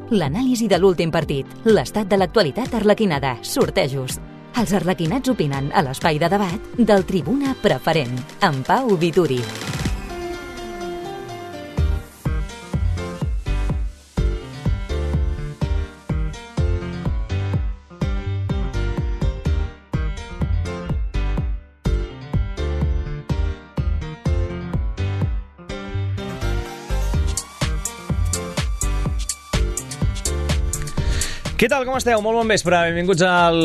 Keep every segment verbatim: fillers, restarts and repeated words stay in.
l'anàlisi de l'últim partit, l'estat de l'actualitat arlequinada, sortejos. Els arlequinats opinen a l'espai de debat del Tribuna Preferent, amb Pau Vituri. Què tal, com esteu? Molt bon vespre. Benvinguts al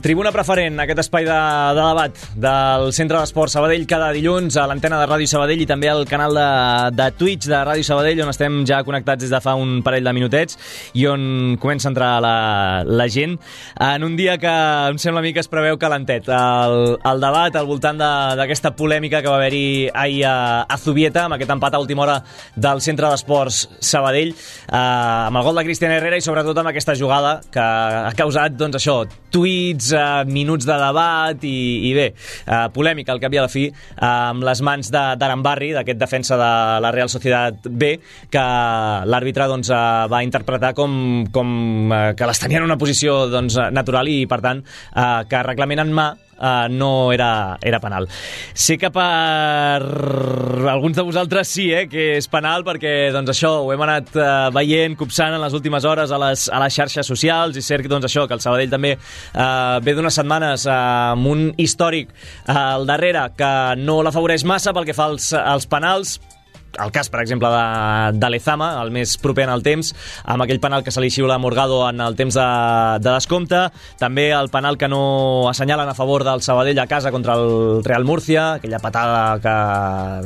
Tribuna Preferent, aquest espai de, de debat del Centre d'Esport Sabadell cada dilluns a l'antena de Ràdio Sabadell i també al canal de, de Twitch de Ràdio Sabadell, on estem ja connectats des de fa un parell de minutets i on comença a entrar la, la gent en un dia que em sembla a mi que es preveu calentet. El, el debat al voltant d'aquesta polèmica que va haver-hi ahir a, a Zubieta, amb aquest empat a última hora del Centre d'Esports Sabadell, eh, amb el gol de Cristian Herrera i sobretot amb aquesta jugada que ha causat, doncs això, tuits, eh, minuts de debat i, i bé, eh, polèmica al cap i a la fi, eh, amb les mans d'Arambarri, d'aquest defensa de la Real Sociedad B, que l'àrbitre doncs, eh, va interpretar com, com eh, que les tenia en una posició doncs, natural i, per tant, eh, que reglament en mà Uh, no era, era penal. Sé que per alguns de vosaltres sí, eh, que és penal, perquè doncs, això ho hem anat uh, veient, copsant en les últimes hores a les, a les xarxes socials, i cert doncs, això, que el Sabadell també uh, ve d'unes setmanes uh, amb un històric uh, al darrere que no l'afavoreix massa pel que fa als, als penals. El cas, per exemple, de, de Lezama, el més proper en el temps, amb aquell penal que se li xiula a Morgado en el temps de, de descompte, també el penal que no assenyalen a favor del Sabadell a casa contra el Real Murcia, aquella patada, que,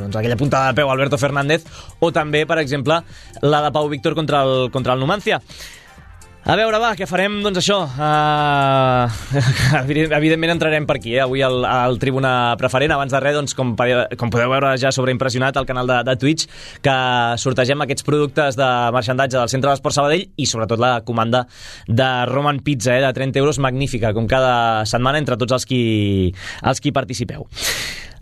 doncs, aquella puntada de peu a Alberto Fernández, o també, per exemple, la de Pau Víctor contra el, contra el Numancia. A veure, va, què farem? Doncs això, uh, evidentment entrarem per aquí, eh? Avui al, al Tribuna Preferent. Abans de res, doncs, com, com podeu veure ja sobreimpressionat al canal de, de Twitch, que sortegem aquests productes de marxandatge del Centre d'Esport Sabadell i sobretot la comanda de Roman Pizza, eh, de trenta euros, magnífica, com cada setmana entre tots els qui, els qui participeu.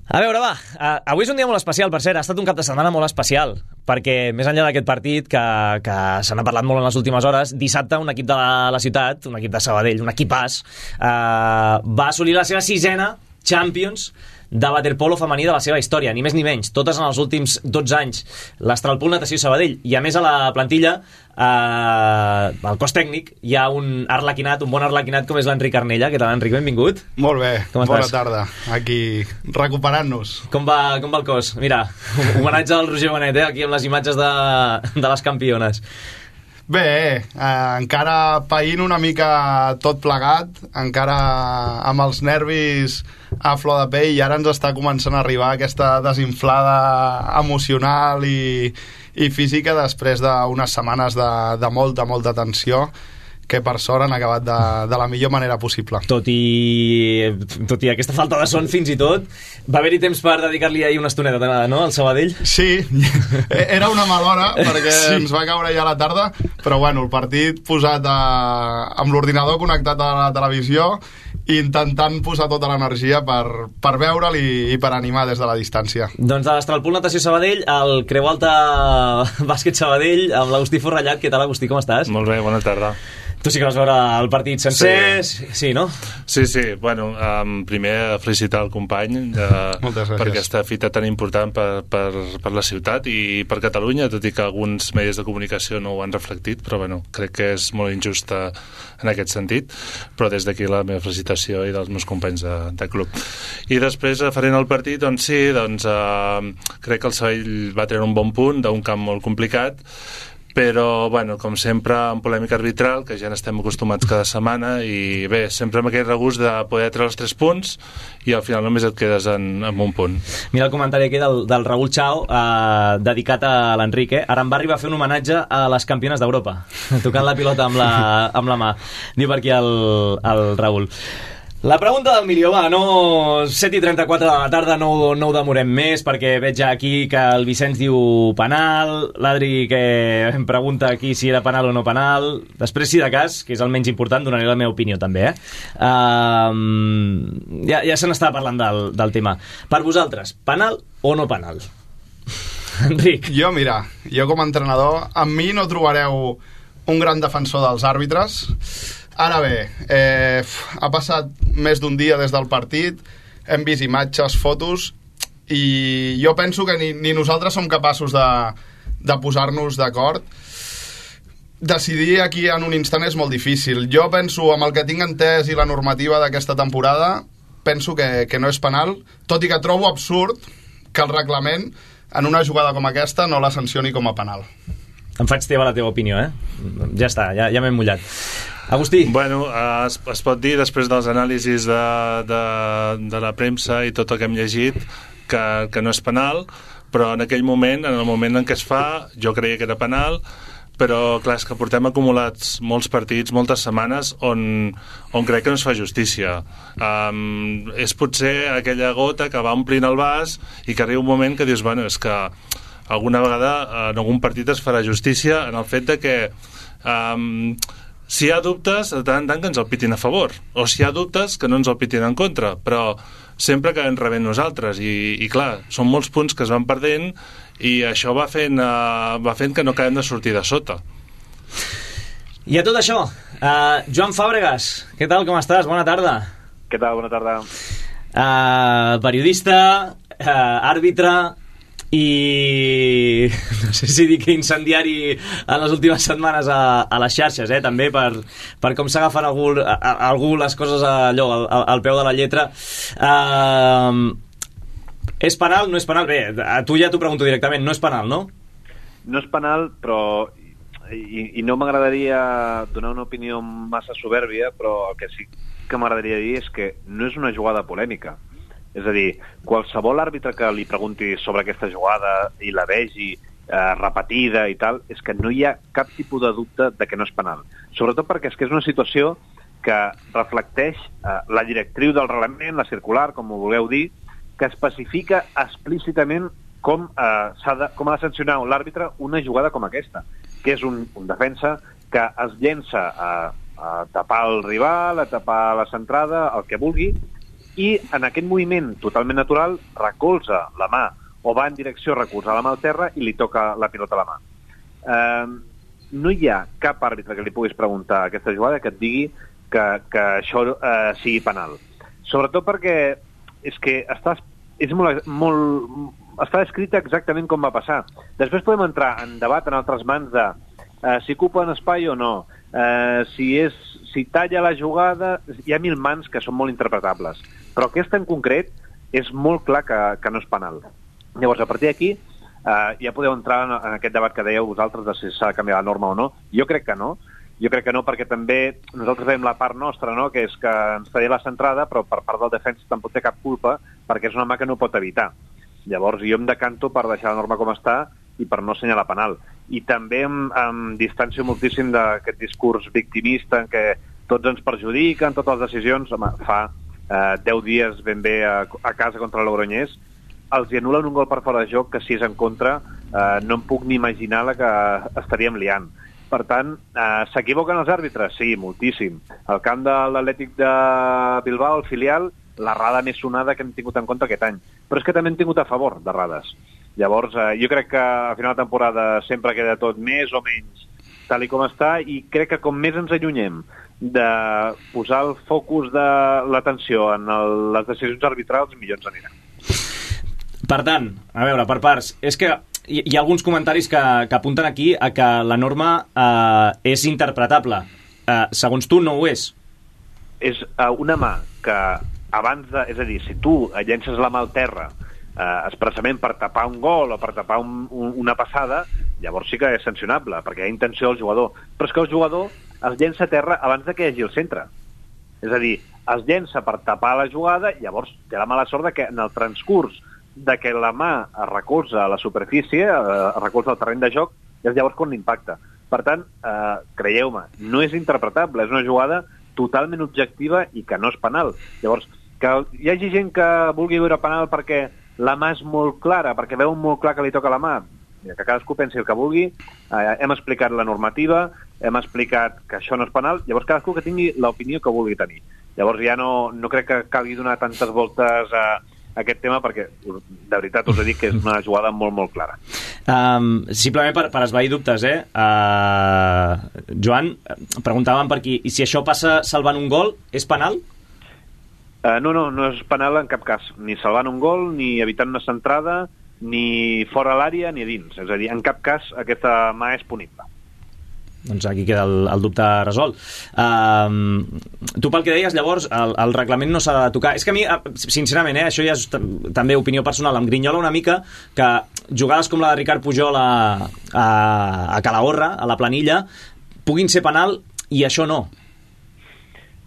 A veure, va, uh, avui és un dia molt especial, per cert, ha estat un cap de setmana molt especial, perquè més enllà d'aquest partit, que, que se n'ha parlat molt en les últimes hores, dissabte un equip de la, la ciutat, un equip de Sabadell, un equipàs, uh, va assolir la seva sisena Champions de waterpolo femení de la seva història, ni més ni menys, totes en els últims dotze anys. L'Astralpool Natació Sabadell, i a més a la plantilla, eh, al cos tècnic, hi ha un arlequinat, un bon arlequinat com és l'Enric Arnella. Què tal, Enric? Benvingut. Molt bé, com bona estàs? tarda, aquí recuperant-nos. Com va, com va el cos? Mira, homenatge al Roger Benet, eh, aquí amb les imatges de, de les campiones. Bé, eh, encara païnt una mica tot plegat, encara amb els nervis a flor de pell, i ara ens està començant a arribar aquesta desinflada emocional i, i física després d'unes setmanes de, de molta, molta tensió, que per sort han acabat de, de la millor manera possible. Tot i, tot i aquesta falta de son fins i tot, va haver-hi temps per dedicar-li ahir una estoneta, no?, al Sabadell? Sí, era una mala hora perquè sí. Ens va caure ja a la tarda, però bueno, el partit posat a, amb l'ordinador connectat a la televisió i intentant posar tota l'energia per, per veure'l i, i per animar des de la distància. Doncs de l'Astralpool Natació Sabadell, el Creu Alta Bàsquet Sabadell, amb l'Agustí Forrellat. Què tal, Agustí, com estàs? Molt bé, bona tarda. Tu sí que vas veure el partit sencer, sí, sí no? Sí, sí, bueno, um, primer felicitar el company uh, per aquesta fita tan important per, per, per la ciutat i per Catalunya, tot i que alguns medis de comunicació no ho han reflectit, però bueno, crec que és molt injusta en aquest sentit, però des d'aquí la meva felicitació i dels meus companys de, de club. I després, referent al partit, doncs sí, doncs, uh, crec que el Sabadell va treure un bon punt d'un camp molt complicat, però, bueno, com sempre, en polèmica arbitral, que ja n'estem acostumats cada setmana, i bé, sempre amb aquest regust de poder treure els tres punts i al final només et quedes en, en un punt. Mira el comentari aquí del, del Raül Chao, eh, dedicat a l'Enrique. Arambarri va fer un homenatge a les campiones d'Europa, tocant la pilota amb la, amb la mà. Diu per aquí el, el Raül. La pregunta del milió, va, no, set i trenta-quatre de la tarda, no, no ho demorem més, perquè veig ja aquí que el Vicenç diu penal, l'Adri que em pregunta aquí si era penal o no penal. Després, si de cas, que és el menys important, donaré la meva opinió també, eh? Uh, ja, ja se n'està parlant del, del tema. Per vosaltres, penal o no penal? Enric. Jo, mira, jo com a entrenador, amb mi no trobareu un gran defensor dels àrbitres. Ara bé, eh, ha passat més d'un dia des del partit, hem vist imatges, fotos, i jo penso que ni, ni nosaltres som capaços de, de posar-nos d'acord. Decidir aquí en un instant és molt difícil. Jo penso, amb el que tinc entès i la normativa d'aquesta temporada, penso que, que no és penal, tot i que trobo absurd que el reglament en una jugada com aquesta no la sancioni com a penal. Em faig teva la teva opinió, eh? Ja està, ja, ja m'he mullat. Agustí. Bueno, es, es pot dir, després dels anàlisis de, de, de la premsa i tot el que hem llegit, que, que no és penal, però en aquell moment, en el moment en què es fa, jo creia que era penal, però clar, és que portem acumulats molts partits, moltes setmanes, on, on crec que no es fa justícia. Um, és potser aquella gota que va omplint el vas i que arriba un moment que dius, bueno, és que alguna vegada en algun partit es farà justícia en el fet de que um, si hi ha dubtes, de tant en tant que ens el pitin a favor, o si hi ha dubtes que no ens el pitin en contra, però sempre que ens rebem nosaltres, i, i clar, són molts punts que es van perdent i això va fent, uh, va fent que no acabem de sortir de sota. I a tot això, uh, Joan Fàbregas, què tal, com estàs? Bona tarda. Què tal, bona tarda. Uh, periodista, uh, àrbitre, i no sé si dic incendiari en les últimes setmanes a, a les xarxes, eh, també per, per com s'agafen algú, a, a, algú les coses allò, al, al peu de la lletra. Uh, és penal, no és penal? Bé, a tu ja t'ho pregunto directament, no és penal, no? No és penal, però i, i no m'agradaria donar una opinió massa soberbia, però el que sí que m'agradaria dir és que no és una jugada polèmica. És a dir, qualsevol àrbitre que li pregunti sobre aquesta jugada i la vegi eh, repetida i tal, és que no hi ha cap tipus de dubte de que no és penal. Sobretot perquè és que és una situació que reflecteix eh, la directriu del reglament, la circular, com ho vulgueu dir, que especifica explícitament com, eh, s'ha de, com ha de sancionar l'àrbitre una jugada com aquesta, que és un, un defensa que es llença a, a tapar el rival, a tapar la centrada, el que vulgui, i en aquest moviment totalment natural recolza la mà o va en direcció a recolzar la mà al terra i li toca la pilota a la mà. Eh, no hi ha cap àrbitre que li puguis preguntar a aquesta jugada que et digui que, que això eh, sigui penal. Sobretot perquè és que està, és molt, molt, està escrita exactament com va passar. Després podem entrar en debat en altres mans de eh, si ocupa un espai o no, eh, si, és, si talla la jugada, hi ha mil mans que són molt interpretables. Però aquesta en concret és molt clar que, que no és penal. Llavors, a partir d'aquí, eh, ja podeu entrar en, en aquest debat que dèieu vosaltres de si s'ha de canviar la norma o no. Jo crec que no. Jo crec que no, perquè també nosaltres veiem la part nostra, no?, que és que ens talla la centrada, però per part del defensa tampoc té cap culpa, perquè és una mà que no pot evitar. Llavors, jo em decanto per deixar la norma com està i per no assenyalar penal. I també em, em distancio moltíssim d'aquest discurs victimista en què tots ens perjudiquen, totes les decisions. Home, fa Uh, deu dies ben bé a, a casa contra el Logroñés, els hi anulen un gol per fora de joc que si és en contra uh, no em puc ni imaginar la que estaríem liant. Per tant, uh, s'equivoquen els àrbitres? Sí, moltíssim. Al camp de l'Atlètic de Bilbao, el filial, l'errada més sonada que hem tingut en compte aquest any. Però és que també hem tingut a favor d'errades. Llavors, uh, jo crec que a final de temporada sempre queda tot més o menys tal i com està, i crec que com més ens allunyem de posar el focus de l'atenció en el, les decisions arbitrals, millor ens anirà. Per tant, a veure, per parts, és que hi, hi ha alguns comentaris que, que apunten aquí a que la norma eh, és interpretable. Eh, segons tu, no ho és. És eh, una mà que abans de... És a dir, si tu llences la mà al terra eh, expressament per tapar un gol o per tapar un, un, una passada, llavors sí que és sancionable, perquè hi ha intenció del jugador. Però és que el jugador es llença a terra abans de que hi hagi el centre. És a dir, es llença per tapar la jugada, llavors té la mala sort de que en el transcurs de que la mà es recolza a la superfície, es recolza al terreny de joc, és llavors quan l'impacta. Per tant, eh, creieu-me, no és interpretable, és una jugada totalment objectiva i que no és penal. Llavors, que hi hagi gent que vulgui veure penal perquè la mà és molt clara, perquè veu molt clar que li toca la mà, que cadascú pensi el que vulgui, eh, hem explicat la normativa, hem explicat que això no és penal, llavors cadascú que tingui l'opinió que vulgui tenir. Llavors ja no, no crec que calgui donar tantes voltes a, a aquest tema, perquè de veritat us he dit que és una jugada molt, molt clara. Um, simplement per, per esvair dubtes, eh? Uh, Joan, preguntàvem per aquí, i si això passa salvant un gol, és penal? Uh, no, no, no és penal en cap cas, ni salvant un gol, ni evitant una centrada, ni fora l'àrea, ni a dins. És a dir, en cap cas aquesta mà és punible. Doncs aquí queda el, el dubte resolt. Uh, tu pel que deies, llavors, el, el reglament no s'ha de tocar. És que a mi, sincerament, eh, això ja és també opinió personal, em grinyola una mica que jugades com la de Ricard Pujol a, a, a Calahorra, a la planilla, puguin ser penal i això no.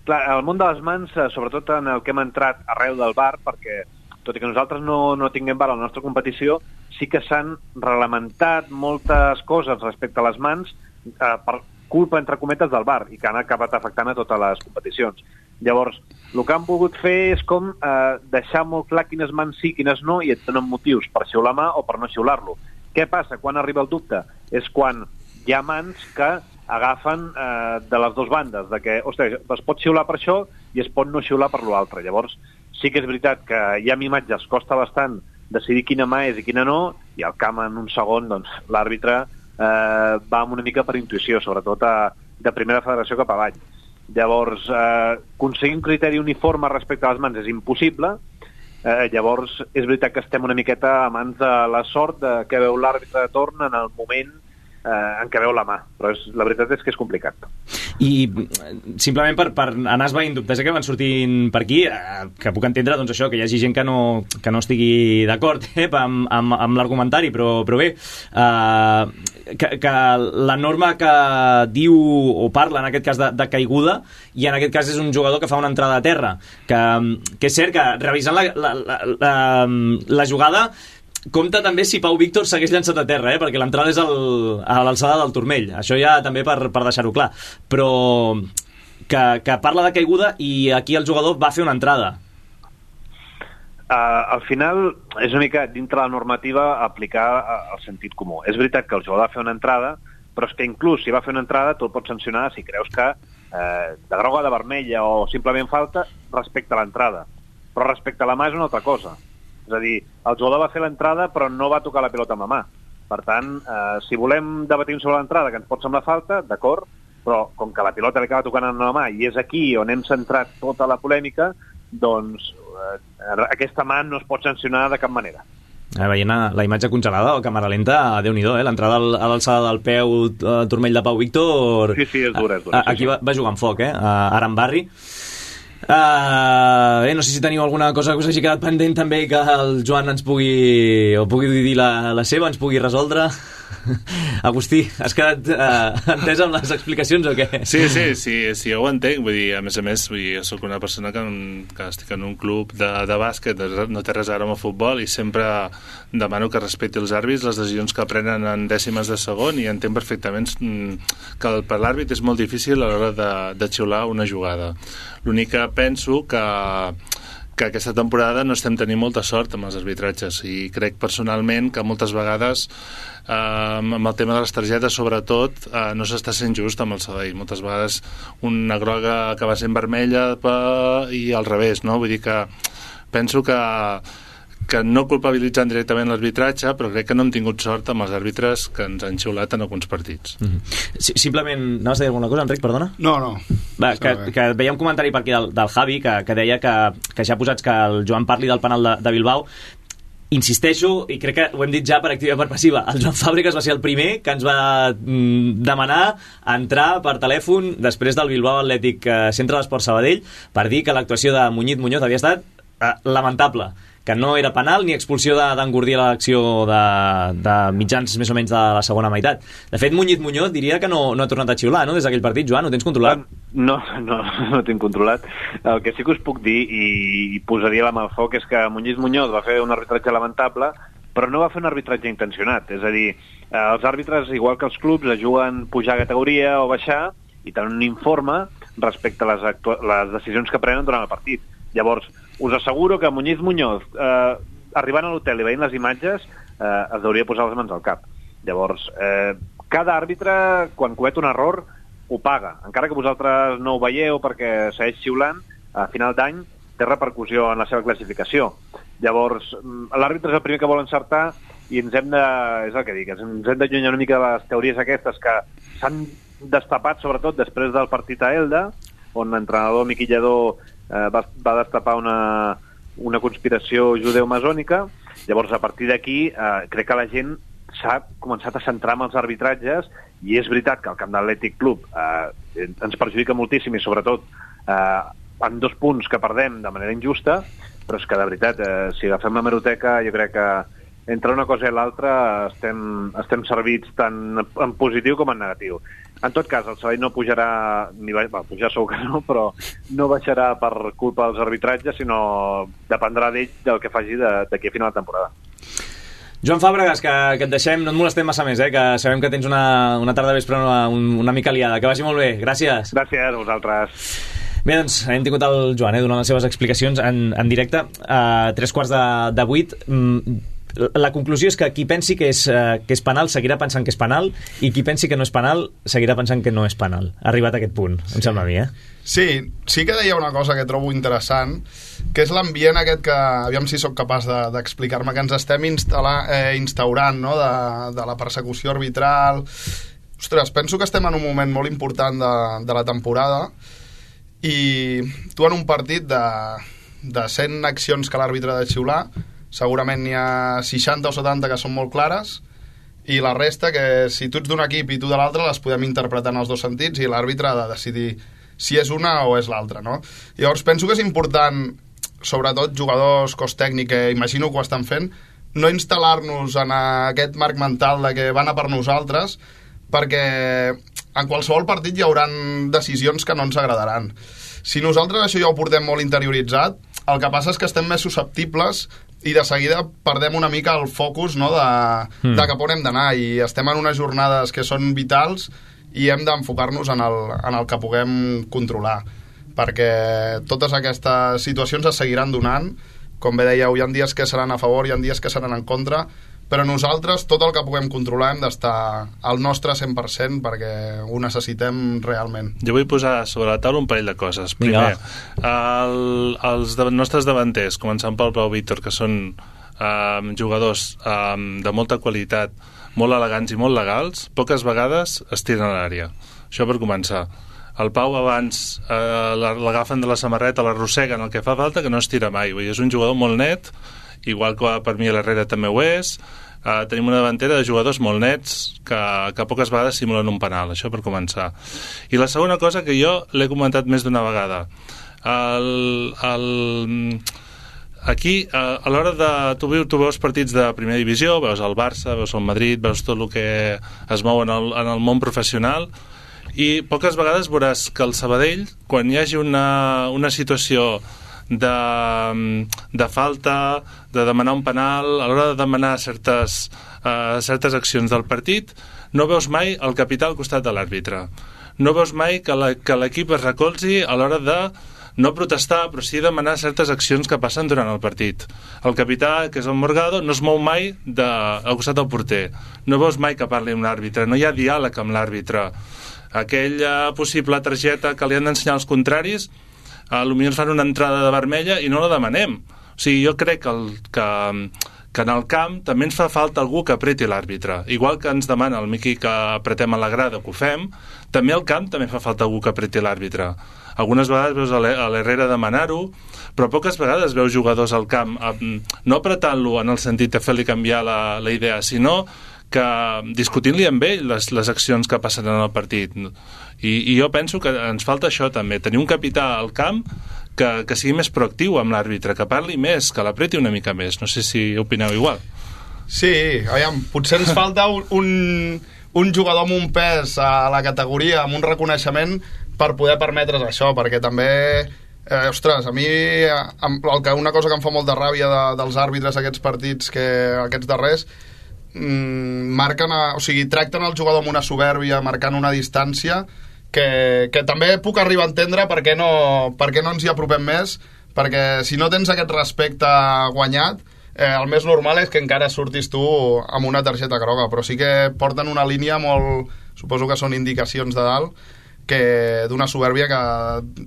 Clar, el món de les mans, sobretot en el que hem entrat arreu del V A R, perquè tot i que nosaltres no, no tinguem V A R a la nostra competició, sí que s'han reglamentat moltes coses respecte a les mans eh, per culpa, entre cometes, del V A R i que han acabat afectant a totes les competicions. Llavors, el que han volgut fer és com eh, deixar molt clar quines mans sí, quines no, i et donen motius per xiular mà o per no xiular-lo. Què passa quan arriba el dubte? És quan hi ha mans que agafen eh, de les dues bandes, de que, ostres, es pot xiular per això i es pot no xiular per l'altre. Llavors, sí que és veritat que ja amb imatges costa bastant decidir quina mà és i quina no, i al camp en un segon, doncs, l'àrbitre eh, va amb una mica per intuïció, sobretot a, de primera federació cap avall. Llavors, eh, aconseguir un criteri uniforme respecte a les mans és impossible. Eh, llavors, és veritat que estem una miqueta a mans de la sort de que veu l'àrbitre de torn en el moment eh, en què veu la mà, però és, la veritat és que és complicat. I simplement per, per anar esvaint dubtes que van sortint per aquí, eh, que puc entendre doncs això, que hi hagi gent que no, que no estigui d'acord eh, amb, amb, amb l'argumentari, però, però bé, eh, que, que la norma que diu o parla en aquest cas de, de caiguda, i en aquest cas és un jugador que fa una entrada a terra, que, que és cert que revisant la, la, la, la, la jugada compta també si Pau Víctor s'hagués llançat a terra, eh? Perquè l'entrada és el, a l'alçada del turmell. Això ja també per, per deixar-ho clar. Però que, que parla de caiguda i aquí el jugador va fer una entrada. Uh, al final és una mica dintre la normativa aplicar uh, el sentit comú. És veritat que el jugador va fer una entrada, però és que inclús si va fer una entrada tu el pots sancionar si creus que uh, de groga, de vermella o simplement falta respecte a l'entrada. Però respecte a la mà és una altra cosa. És a dir, el jugador va fer l'entrada però no va tocar la pilota amb la mà. Per tant, eh, si volem debatir sobre l'entrada, que ens pot semblar falta, d'acord, però com que la pilota li acaba tocant amb la mà i és aquí on hem centrat tota la polèmica, doncs eh, aquesta mà no es pot sancionar de cap manera. Eh, veient la imatge congelada o càmera lenta, Déu-n'hi-do, eh? L'entrada a l'alçada del peu al turmell de Pau Víctor... Sí, sí, és dura, és dura. Aquí sí, sí. Va, va jugar amb foc, eh? Ara en Barri. Uh, bé, no sé si teniu alguna cosa que us hagi quedat pendent també que el Joan ens pugui o pugui dir la, la seva, ens pugui resoldre. Agustí, has quedat uh, entès amb les explicacions o què? Sí, sí, sí, sí, jo ho entenc. Vull dir, a més a més, vull dir, jo soc una persona que, que estic en un club de, de bàsquet, no té res a veure amb el futbol, i sempre demano que respecti els àrbits, les decisions que prenen en dècimes de segon, i entenc perfectament que per l'àrbit és molt difícil a l'hora de, de xiular una jugada. L'únic que penso que que aquesta temporada no estem tenint molta sort amb els arbitratges, i crec personalment que moltes vegades eh, amb el tema de les targetes sobretot eh, no s'està sent just amb el Sabadell. Moltes vegades una groga acaba sent vermella per... i al revés, no? Vull dir que penso que que no culpabilitzant directament l'arbitratge, però crec que no hem tingut sort amb els àrbitres que ens han xiulat en alguns partits. Mm-hmm. Simplement, anaves a dir alguna cosa, Enric, perdona? No, no. Va, que, que veia un comentari per aquí del, del Javi, que, que deia que, que ja posats que el Joan parli del penal de, de Bilbao. Insisteixo, i crec que ho hem dit ja per activa i per passiva, el Joan Fàbregas va ser el primer que ens va mm, demanar entrar per telèfon després del Bilbao Atlètic eh, Centre d'Esport Sabadell per dir que l'actuació de Muñiz Muñoz havia estat eh, lamentable, que no era penal ni expulsió d'engordir a l'acció de, de mitjans més o menys de la segona meitat. De fet, Muñiz Muñoz diria que no, no ha tornat a xiular, no?, des d'aquell partit. Joan, ho tens controlat? No, no, no ho tinc controlat. El que sí que us puc dir, i posaria la mà al foc, és que Muñiz Muñoz va fer un arbitratge lamentable, però no va fer un arbitratge intencionat. És a dir, els àrbitres, igual que els clubs, juguen pujar a categoria o baixar i tenen un informe respecte a les, les decisions que prenen durant el partit. Llavors, us asseguro que Muñiz Muñoz, eh, arribant a l'hotel i veient les imatges, eh, es hauria posar les mans al cap. Llavors, eh, cada àrbitre, quan comet un error, ho paga. Encara que vosaltres no ho veieu perquè segueix xiulant, a final d'any té repercussió en la seva classificació. Llavors, l'àrbitre és el primer que vol encertar i ens hem de, és el que dic, ens hem d'allunyar una mica de les teories aquestes que s'han destapat, sobretot després del partit a Elda, on l'entrenador Miqui Lledó eh, va, va destapar una, una conspiració judeu-masònica. Llavors, a partir d'aquí, eh, crec que la gent s'ha començat a centrar en els arbitratges, i és veritat que el camp d'Atlètic Club eh, ens perjudica moltíssim, i sobretot eh, en dos punts que perdem de manera injusta, però és que de veritat, eh, si agafem la meroteca, jo crec que entre una cosa i l'altra estem, estem servits tant en positiu com en negatiu. En tot cas, el Sabadell no pujarà, ni va, va, pujar segur que no, però no baixarà per culpa dels arbitratges, sinó dependrà d'ell del que faci d'aquí a final de temporada. Joan Fàbregas, que, que et deixem, no et molestem massa més, eh, que sabem que tens una, una tarda vespre una, una mica liada. Que vagi molt bé, gràcies. Gràcies a vosaltres. Bé, doncs, hem tingut el Joan eh, donant les seves explicacions en, en directe a tres quarts de, de vuit. La conclusió és que qui pensi que és, que és penal seguirà pensant que és penal, i qui pensi que no és penal seguirà pensant que no és penal. Arribat a aquest punt, em sembla a mi, eh? Sí, sí que deia una cosa que trobo interessant, que és l'ambient aquest que, aviam si sóc capaç d'explicar-me, de, que ens estem eh, instaurant, no?, de, de la persecució arbitral. Ostres, penso que estem en un moment molt important de, de la temporada, i tu en un partit de, de cent accions que l'àrbitre ha de xiular, segurament n'hi ha seixanta o setanta que són molt clares, i la resta que si tu ets d'un equip i tu de l'altre les podem interpretar en els dos sentits, i l'àrbitre ha de decidir si és una o és l'altra, no? Llavors penso que és important, sobretot jugadors, cos tècnic, que imagino que ho estan fent, no instal·lar-nos en aquest marc mental de que van a per nosaltres, perquè en qualsevol partit hi haurà decisions que no ens agradaran. Si nosaltres això ja ho portem molt interioritzat, el que passa és que estem més susceptibles i de seguida perdem una mica el focus, no?, de, mm. de cap on hem d'anar, i estem en unes jornades que són vitals i hem d'enfocar-nos en el, en el que puguem controlar, perquè totes aquestes situacions es seguiran donant. Com bé dèieu, hi ha dies que seran a favor, hi ha dies que seran en contra, però nosaltres tot el que puguem controlar hem d'estar al nostre cent per cent perquè ho necessitem realment. Jo vull posar sobre la taula un parell de coses. Primer, el, els de, nostres davanters, començant pel Pau Víctor, que són eh, jugadors eh, de molta qualitat, molt elegants i molt legals, poques vegades es tiren a l'àrea. Això per començar. El Pau abans eh, l'agafen de la samarreta, l'arrosseguen, el que fa falta, que no es tira mai. Vull dir, és un jugador molt net, igual que per mi l'Herrera també ho és. Uh, tenim una davantera de jugadors molt nets que, que poques vegades simulen un penal, això per començar. I la segona cosa, que jo l'he comentat més d'una vegada, el, el, aquí uh, a l'hora de tu, tu veus partits de primera divisió, veus el Barça, veus el Madrid, veus tot el que es mou en el, en el món professional, i poques vegades veuràs que el Sabadell, quan hi hagi una, una situació De, de falta, de demanar un penal, a l'hora de demanar certes, uh, certes accions del partit, no veus mai el capità al costat de l'àrbitre. No veus mai que l'equip es recolzi a l'hora de no protestar, però sí demanar certes accions que passen durant el partit. El capità, que és el Morgado, no es mou mai de, al costat del porter. No veus mai que parli amb l'àrbitre, no hi ha diàleg amb l'àrbitre. Aquella possible targeta que li han d'ensenyar als contraris, a lo millor fan una entrada de vermella i no la demanem. O sigui, jo crec que, el, que, que en el camp també ens fa falta algú que apreti l'àrbitre. Igual que ens demana el Miqui que apretem a la grada, que ho fem, també al camp també fa falta algú que apreti l'àrbitre. Algunes vegades veus a l'Herrera demanar-ho, però poques vegades veus jugadors al camp no apretant-lo en el sentit de fer-li canviar la, la idea, sinó que discutint-li amb ell les, les accions que passen en el partit. I, i jo penso que ens falta això també, tenir un capità al camp que, que sigui més proactiu amb l'àrbitre, que parli més, que l'apreti una mica més. No sé si opineu igual. Sí, aviam, potser ens falta un, un, un jugador amb un pes a la categoria, amb un reconeixement per poder permetre's això, perquè també eh, ostres, a mi el que, una cosa que em fa molta ràbia de, dels àrbitres aquests partits, que aquests darrers marquen, a, o sigui, tracten el jugador amb una soberbia, marcant una distància que, que també puc arribar a entendre per què no, per què no ens hi apropem més, perquè si no tens aquest respecte guanyat, eh, el més normal és que encara surtis tu amb una targeta groga, però sí que porten una línia molt, suposo que són indicacions de dalt, que d'una soberbia que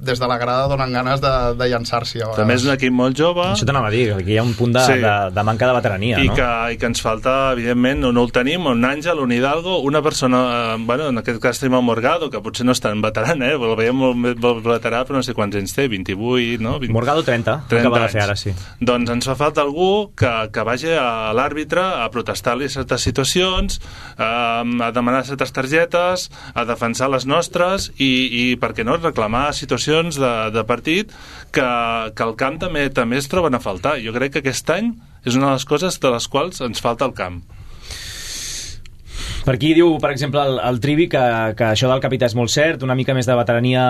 des de la grada donen ganes de, de llançar-s'hi. També és un equip molt jove. Això t'anava a dir, que hi ha un punt de, sí. de, de manca de veterania, I no? Que, I que ens falta, evidentment, no, no el tenim, un Àngel, un Hidalgo, una persona, eh, bueno, en aquest cas tenim el Morgado, que potser no és tan veteran, eh? El veiem molt, molt veterà, però no sé quants anys té, vint-i-vuit, no? vint... Morgado trenta, trenta acaba de fer ara, sí. Doncs ens fa falta algú que, que vagi a l'àrbitre a protestar-li certes situacions, eh, a demanar certes targetes, a defensar les nostres i, i per què no, reclamar situacions de, de partit que, que al camp també també es troben a faltar. Jo crec que aquest any és una de les coses de les quals ens falta el camp. Per aquí diu, per exemple, el, el Trivi que, que això del capità és molt cert, una mica més de veterania,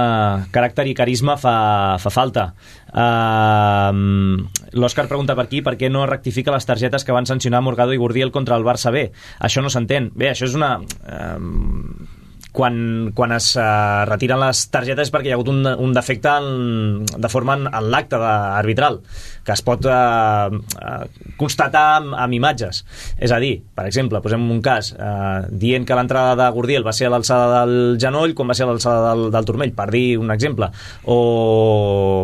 caràcter i carisma fa, fa falta. Uh, L'Òscar pregunta per aquí per què no rectifica les targetes que van sancionar Morgado i Gurdiel contra el Barça B. Això no s'entén. Bé, això és una... Uh, quan, quan es uh, retiren les targetes perquè hi ha hagut un, un defecte en, de forma en, en l'acte arbitral que es pot uh, uh, constatar amb, amb imatges. És a dir, per exemple, posem un cas uh, dient que l'entrada de Gurdiel va ser a l'alçada del genoll quan va ser a l'alçada del, del turmell, per dir un exemple. O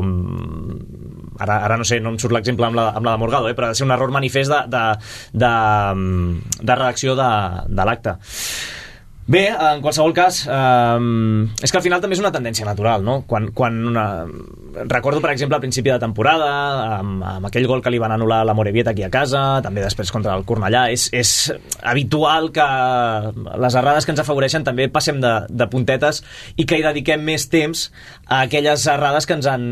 ara, ara no sé, no em surt l'exemple amb, la, amb la de Morgado, eh, però ha de ser un error manifest de, de, de, de redacció de, de l'acte. Bé, en qualsevol cas, eh, és que al final també és una tendència natural, no? Quan, quan una... Recordo, per exemple, al principi de temporada, amb, amb aquell gol que li van anul·lar la Morevieta aquí a casa, també després contra el Cornellà, és, és habitual que les errades que ens afavoreixen també passem de, de puntetes i que hi dediquem més temps a aquelles errades que ens han,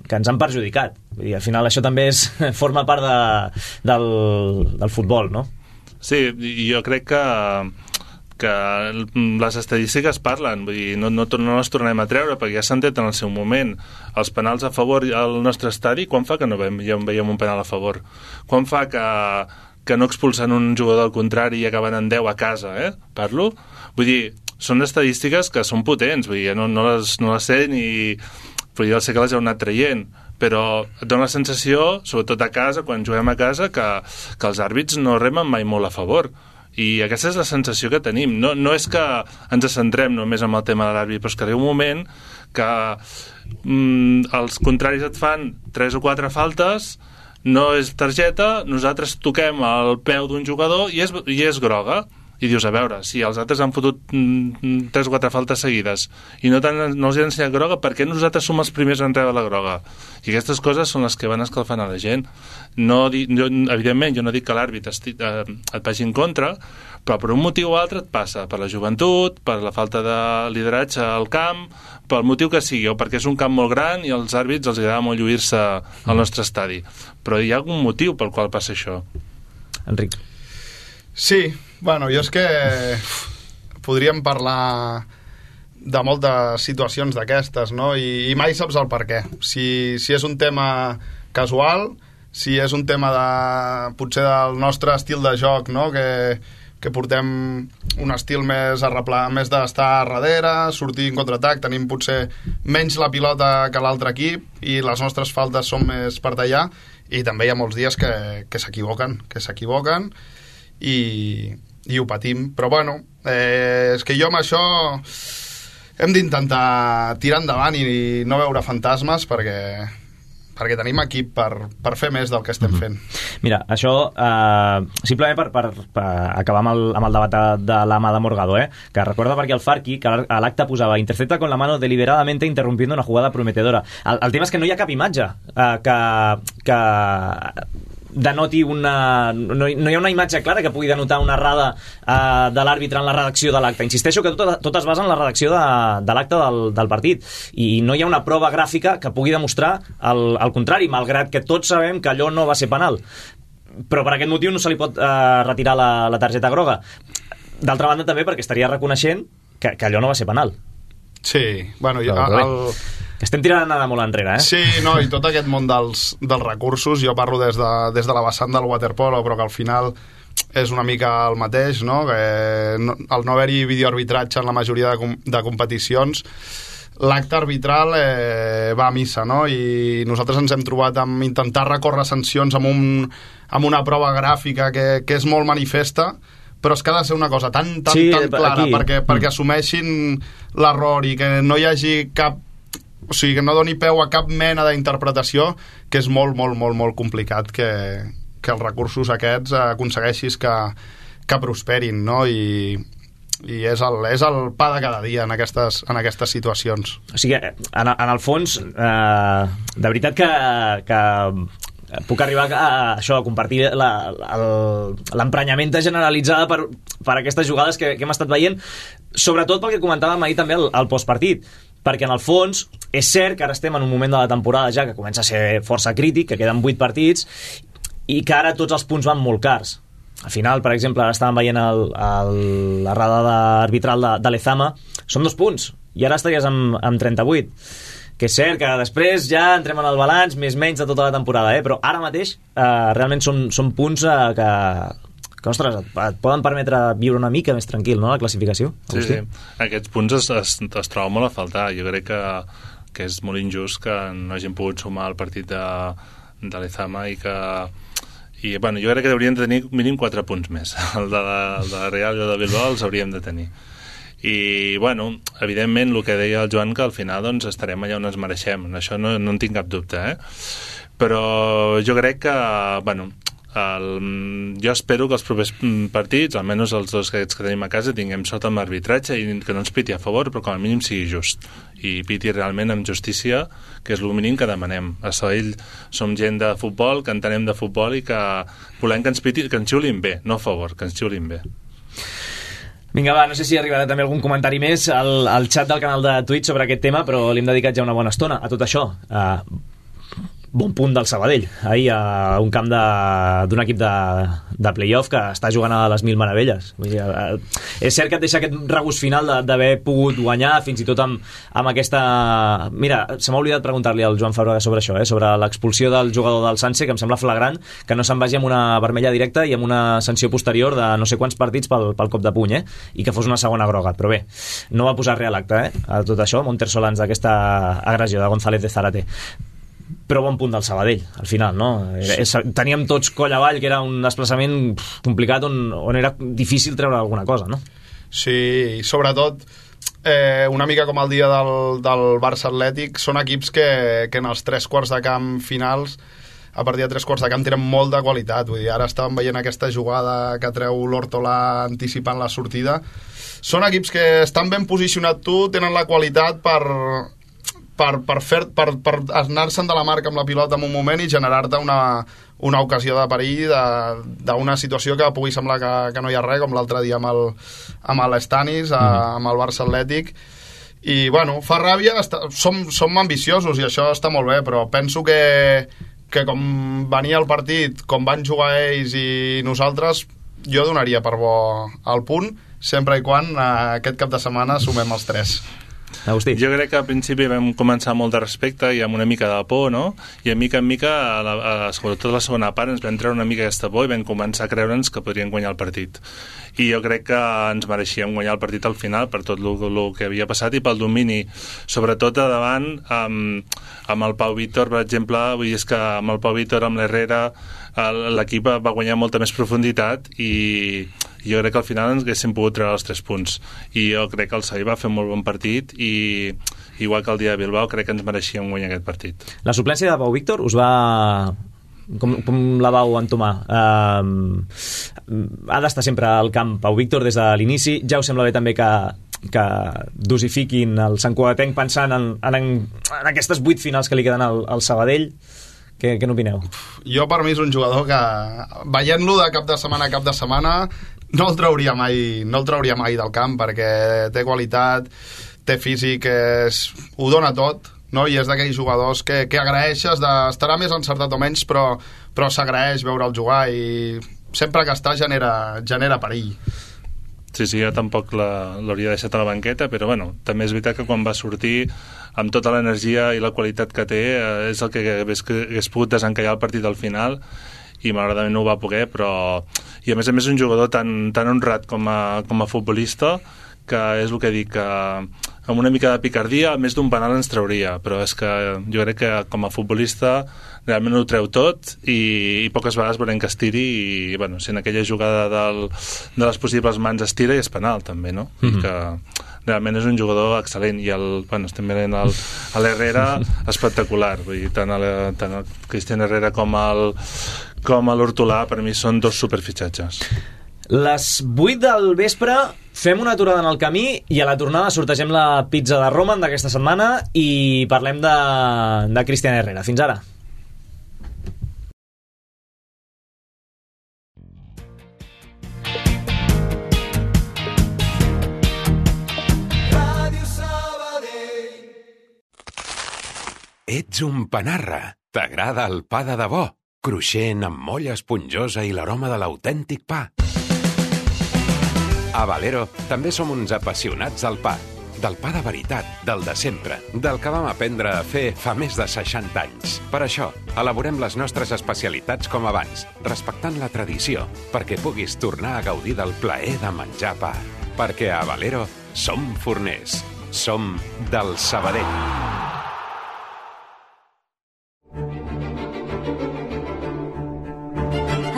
que ens han perjudicat. Vull dir, al final això també és, forma part de, del, del futbol, no? Sí, jo crec que que les estadístiques parlen, vull dir, no, no, no les tornem a treure perquè ja s'han tret en el seu moment. Els penals a favor al nostre estadi, quan fa que no veiem, ja veiem un penal a favor? Quan fa que, que no expulsen un jugador al contrari i acaben en deu a casa, eh? Parlo? Vull dir, són estadístiques que són potents, vull dir, no, no, les, no les sé ni... Però jo sé que les heu anat traient, però et dona la sensació, sobretot a casa, quan juguem a casa, que, que els àrbits no remen mai molt a favor. I aquesta és la sensació que tenim. No, no és que ens centrem només en el tema de l'àrbit, però és que arriba un moment que mm, els contraris et fan tres o quatre faltes, no és targeta, nosaltres toquem el peu d'un jugador i és, i és groga. I dius, a veure, si els altres han fotut mm, tres o quatre faltes seguides i no, tan, no els han ensenyat groga, per què nosaltres som els primers en rebre la groga? I aquestes coses són les que van escalfant a la gent. No, jo, evidentment, jo no dic que l'àrbit esti, eh, et vagi en contra, però per un motiu o altre et passa, per la joventut, per la falta de lideratge al camp, pel motiu que sigui, o perquè és un camp molt gran i als àrbits els agrada molt lluir-se al nostre estadi. Però hi ha algun motiu pel qual passa això. Enric. Sí, bueno, jo és que podríem parlar de moltes situacions d'aquestes, no? I, i mai saps el per què. Si, si és un tema casual, si és un tema de, potser del nostre estil de joc, no? Que, que portem un estil més arreplar, més d'estar a darrere, sortir en contraatac, tenim potser menys la pilota que l'altre equip i les nostres faltes són més per tallar, i també hi ha molts dies que, que s'equivoquen, que s'equivoquen i, i ho patim. Però bueno, eh, és que jo amb això hem d'intentar tirar endavant i no veure fantasmes perquè, perquè tenim equip per, per fer més del que estem fent. Mira, això eh, simplement per, per, per acabar amb el, amb el debat de, de l'ama de Morgado, eh? Que recorda perquè el Farqui, que a l'acte posava intercepta con la mano deliberadamente interrumpiendo una jugada prometedora. El, el tema és que no hi ha cap imatge eh, que, que denoti una... No, no hi ha una imatge clara que pugui denotar una errada eh, de l'àrbitre en la redacció de l'acte. Insisteixo que tot, tot es basa en la redacció de, de l'acte del, del partit i no hi ha una prova gràfica que pugui demostrar el, el contrari, malgrat que tots sabem que allò no va ser penal. Però per aquest motiu no se li pot eh, retirar la, la targeta groga. D'altra banda també perquè estaria reconeixent que, que allò no va ser penal. Sí, bueno, jo, el... estem tirant anada molt enrere, eh? Sí, no, i tot aquest món dels, dels recursos, jo parlo des de, des de la vessant del waterpolo, però que al final és una mica el mateix, no? Que no, al no haver-hi videoarbitratge en la majoria de, de competicions, l'acte arbitral eh, va a missa, no? I nosaltres ens hem trobat amb intentar recórrer sancions amb, un, amb una prova gràfica que, que és molt manifesta, però és que ha de ser una cosa tan, tan, sí, tan clara aquí. perquè, perquè assumeixin l'error i que no hi hagi cap, o sigui, que no doni peu a cap mena d'interpretació, que és molt, molt, molt, molt complicat que, que els recursos aquests aconsegueixis que, que prosperin, no? I, i és el, és el pa de cada dia en aquestes, en aquestes situacions. O sigui, en, en el fons, eh, de veritat que, que puc arribar a, a això, a compartir l'emprenyament generalitzada per, per aquestes jugades que, que hem estat veient, sobretot pel que comentàvem ahir també al, al postpartit, perquè en el fons és cert que ara estem en un moment de la temporada ja que comença a ser força crític, que queden vuit partits i que ara tots els punts van molt cars. Al final, per exemple, ara estàvem veient el, el, la radada arbitral de, de Lezama, són dos punts i ara estaries amb, amb trenta-vuit, que és cert que després ja entrem en el balanç més menys de tota la temporada, eh? Però ara mateix eh, realment són, són punts eh, que, que ostres, et, et poden permetre viure una mica més tranquil, no?, la classificació. Sí, sí. Aquests punts es, es, es troben molt a faltar. Jo crec que, que és molt injust que no hagin pogut sumar el partit de, de Lezama i que i, bueno, jo crec que haurien de tenir mínim quatre punts més. El de la, el de la Real i el de Bilbao els hauríem de tenir. I, bueno, evidentment, el que deia el Joan, que al final doncs, estarem allà on ens mereixem. Això no, no en tinc cap dubte, eh? Però jo crec que, bueno, el, jo espero que els propers partits, almenys els dos que, que tenim a casa, tinguem sort amb l'arbitratge i que no ens piti a favor, però com a mínim sigui just. I piti realment amb justícia, que és el mínim que demanem. A Sabadell som gent de futbol, que entenem de futbol i que volem que ens piti, que ens xiulin bé, no a favor, que ens xiulin bé. Vinga, va, no sé si arribarà també algun comentari més al, al xat del canal de Twitch sobre aquest tema, però li hem dedicat ja una bona estona a tot això. Uh, bon punt del Sabadell, ahir a un camp d'un equip de, de playoff que està jugant a les mil meravelles. Vull dir, uh, és cert que et deixa aquest regust final d'haver pogut guanyar, fins i tot amb, amb aquesta... Mira, se m'ha oblidat preguntar-li al Joan Fabregas sobre això, eh? Sobre l'expulsió del jugador del Sanse, que em sembla flagrant, que no se'n vagi amb una vermella directa i amb una sanció posterior de no sé quants partits pel, pel cop de puny, eh? I que fos una segona groga. Però bé, no va posar res a l'acte, eh? A tot això, Monter Solans, d'aquesta agressió de González de Zárate. Però bon punt del Sabadell, al final, no? Sí. Teníem tots coll avall, que era un desplaçament complicat on, on era difícil treure alguna cosa, no? Sí, i sobretot eh, una mica com el dia del, del Barça Atlètic, són equips que, que en els tres quarts de camp finals, a partir de tres quarts de camp, tenen molt de qualitat. Vull dir, ara estàvem veient aquesta jugada que treu l'Hortolà anticipant la sortida. Són equips que estan ben posicionats tu, tenen la qualitat per... per, per, fer, per, per anar-se'n de la marca amb la pilota en un moment i generar-te una, una ocasió de perill d'una situació que pugui semblar que, que no hi ha res, com l'altre dia amb el, amb l'Estanis, mm-hmm. amb el Barça Atlètic. I, bueno, fa ràbia, està, som, som ambiciosos i això està molt bé, però penso que, que com venia el partit, com van jugar ells i nosaltres, jo donaria per bo el punt, sempre i quan eh, aquest cap de setmana sumem els tres. Agustí. Jo crec que al principi vam començar amb molt de respecte i amb una mica de por, no? I a mica en mica, a la, a, sobretot a la segona part, ens vam treure una mica aquesta por i vam començar a creure'ns que podrien guanyar el partit. I jo crec que ens mereixíem guanyar el partit al final per tot el que havia passat i pel domini, sobretot a davant amb, amb el Pau Víctor, per exemple. Vull dir, és que amb el Pau Víctor, amb l'Herrera, l'equip va guanyar molta més profunditat i jo crec que al final ens haguéssim pogut treure els tres punts. I jo crec que el Sabadell va fer un molt bon partit i igual que el dia de Bilbao crec que ens mereixíem guanyar aquest partit. La suplència de Pau Víctor us va... Com, com la vau entomar? Uh, ha d'estar sempre al camp Pau Víctor des de l'inici. Ja us sembla bé també que que dosifiquin el Sant Cugatenc pensant en, en, en aquestes vuit finals que li queden al, al Sabadell. Què, què n'opineu? Jo, per mi, és un jugador que, veient-lo de cap de setmana a cap de setmana, no el trauria mai, no el trauria mai del camp, perquè té qualitat, té físic, és, ho dona tot, no? I és d'aquells jugadors que, que agraeixes, de, estarà més encertat o menys, però, però s'agraeix veure'l jugar i sempre que està genera, genera perill. Sí, sí, jo tampoc l'hauria deixat a la banqueta, però bueno, també és veritat que quan va sortir amb tota l'energia i la qualitat que té eh, és el que hagués, que hagués pogut desencallar el partit al final i malauradament no ho va poder, però i a més a més un jugador tan, tan honrat com a, com a futbolista, que és el que dic, que amb una mica de picardia, més d'un penal ens trauria, però és que jo crec que com a futbolista realment ho treu tot i, i poques vegades veurem que es tiri i, bueno, si en aquella jugada del, de les possibles mans es tira i és penal també, no? Mm-hmm. I que realment és un jugador excel·lent i el, bueno, estem veient el, l'Herrera espectacular, vull dir, tant el, tant el Cristian Herrera com el com l'Hortolà per mi són dos superfitxatges. Les vuit del vespre fem una aturada en el camí i a la tornada sortegem la pizza de Roman d'aquesta setmana i parlem de, de Cristian Herrera. Fins ara. Ets un panarra. T'agrada el pa de debò, cruixent amb molla esponjosa i l'aroma de l'autèntic pa. A Valero també som uns apassionats del pa. Del pa de veritat, del de sempre, del que vam aprendre a fer fa més de seixanta anys. Per això, elaborem les nostres especialitats com abans, respectant la tradició, perquè puguis tornar a gaudir del plaer de menjar pa. Perquè a Valero som forners. Som del Sabadell.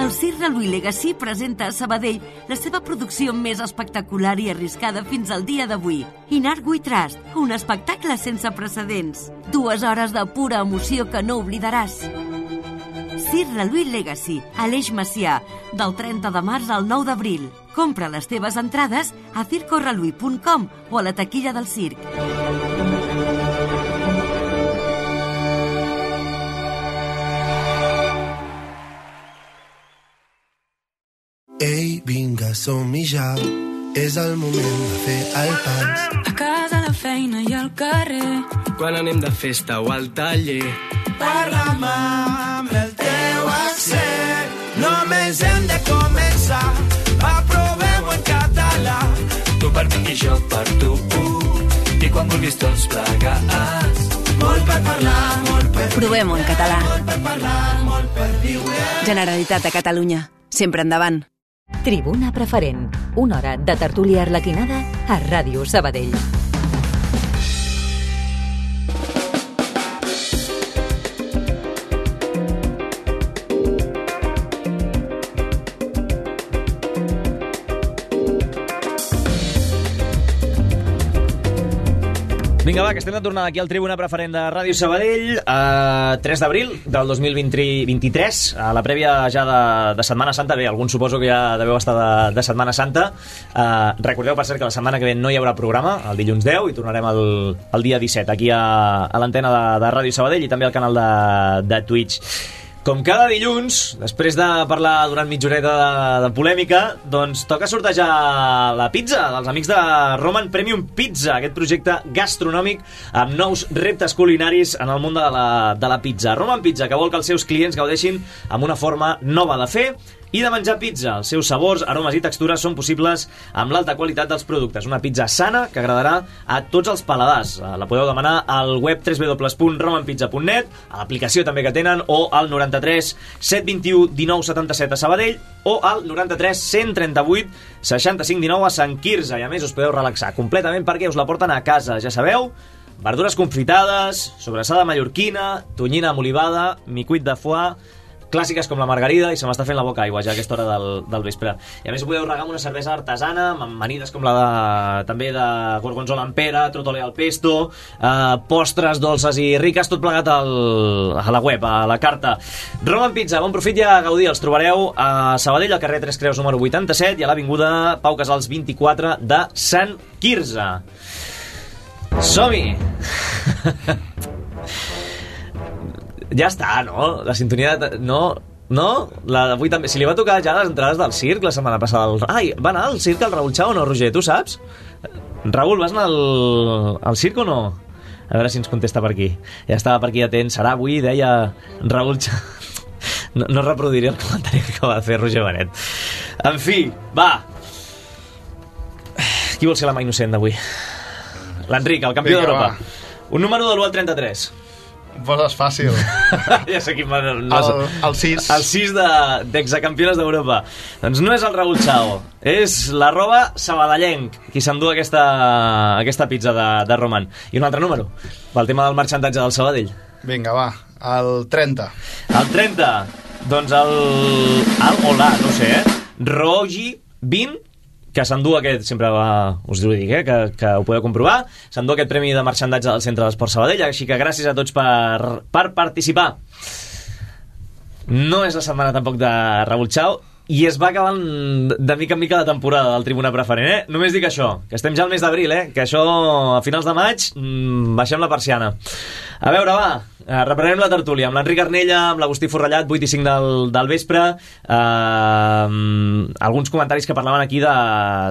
El Cirque Louis Legacy presenta a Sabadell la seva producció més espectacular i arriscada fins al dia d'avui. Inart We Trust, un espectacle sense precedents. Dues hores de pura emoció que no oblidaràs. Cirque Louis Legacy, a l'Eix Macià, del trenta de març al nou d'abril. Compra les teves entrades a circo reluí punt com o a la taquilla del circ. Ei, vinga, som-hi ja. És el moment de fer el pas. A casa, a la feina i al carrer. Quan anem de festa o al taller. Parla'm amb el teu accent. Només hem de començar. Va, provem-ho en català. Tu per mi i jo per tu. I quan vulguis tots plegats. Molt per parlar, molt per viure. Provem-ho en català. Molt per parlar, molt per viure. Generalitat de Catalunya. Sempre endavant. Tribuna Preferent. Una hora de tertúlia arlequinada a Ràdio Sabadell. Vinga, va, que estem de tornada aquí al Tribuna Preferent de Ràdio Sabadell, eh, tres d'abril del dos mil vint-i-tres, a la prèvia ja de, de Setmana Santa. Bé, alguns suposo que ja deveu estar de, de Setmana Santa. Eh, recordeu, per cert, que la setmana que ve no hi haurà programa, el dilluns deu, i tornarem el, el dia disset aquí a, a l'antena de, de Ràdio Sabadell i també al canal de, de Twitch. Com cada dilluns, després de parlar durant mitja horeta de, de polèmica, doncs toca sortejar la pizza dels amics de Roman Premium Pizza, aquest projecte gastronòmic amb nous reptes culinaris en el món de la, de la pizza. Roman Pizza, que vol que els seus clients gaudeixin amb una forma nova de fer i de menjar pizza. Els seus sabors, aromes i textures són possibles amb l'alta qualitat dels productes. Una pizza sana que agradarà a tots els paladars. La podeu demanar al web w w w punt roman pizza punt net, a l'aplicació també que tenen, o al noranta-tres set vint-i-u dinou setanta-set a Sabadell, o al noranta-tres cent trenta-vuit seixanta-cinc dinou a Sant Quirze. I a més us podeu relaxar completament perquè us la porten a casa. Ja sabeu, verdures confitades, sobrassada mallorquina, tonyina amb olivada, micuit de foie, clàssiques com la margarida, i se m'està fent la boca aigua ja a aquesta hora del, del vespre. I a més ho podeu regar amb una cervesa artesana, amb amanides com la de, també de gorgonzola amb pera, trotole al pesto, eh, postres dolces i riques, tot plegat al, a la web, a la carta. Roman Pizza, bon profit i a gaudir. Els trobareu a Sabadell, al carrer Tres Creus número vuitanta-set, i a l'avinguda Pau Casals vint-i-quatre de Sant Quirze. Som-hi! Ja està, no? La sintonia de... No, no? La d'avui també... Si li va tocar ja les entrades del circ la setmana passada... El... Ai, va anar al circ el Raül Chao o no, Roger? Tu saps? Raül, vas anar al, al circ o no? A veure si ens contesta per aquí. Ja estava per aquí atent. Serà avui, deia Raül Chao... No, no reproduiré el comentari que acaba de fer Roger Benet. En fi, va! Qui vol ser la mà innocent d'avui? L'Enric, el campió d'Europa. Un número de l'u al trenta-tres. Poses fàcil. Ja sé quin... No, el, el sis. El sis d'exacampiones de, d'Europa. Doncs no és el Raúl Chao, és l'arroba sabadellenc qui s'endú aquesta, aquesta pizza de, de Roman. I un altre número, pel tema del marxantatge del Sabadell. Vinga, va, el trenta. El trenta, doncs el... el hola, no sé, eh? Rogi vint, que s'endú aquest, sempre va, us ho dic, eh, que, que ho podeu comprovar, s'endú aquest premi de marxandatge del Centre d'Esport Sabadell, així que gràcies a tots per, per participar. No és la setmana tampoc de Raúl Chao, i es va acabant de mica en mica la temporada del Tribuna Preferent, eh? Només dic això, que estem ja al mes d'abril, eh? Que això, a finals de maig, mmm, baixem la persiana. A veure, va, eh, reprenem la tertúlia amb l'Enric Arnella, amb l'Agustí Forrellat, vuit i cinc del, del vespre. Eh, alguns comentaris que parlaven aquí de,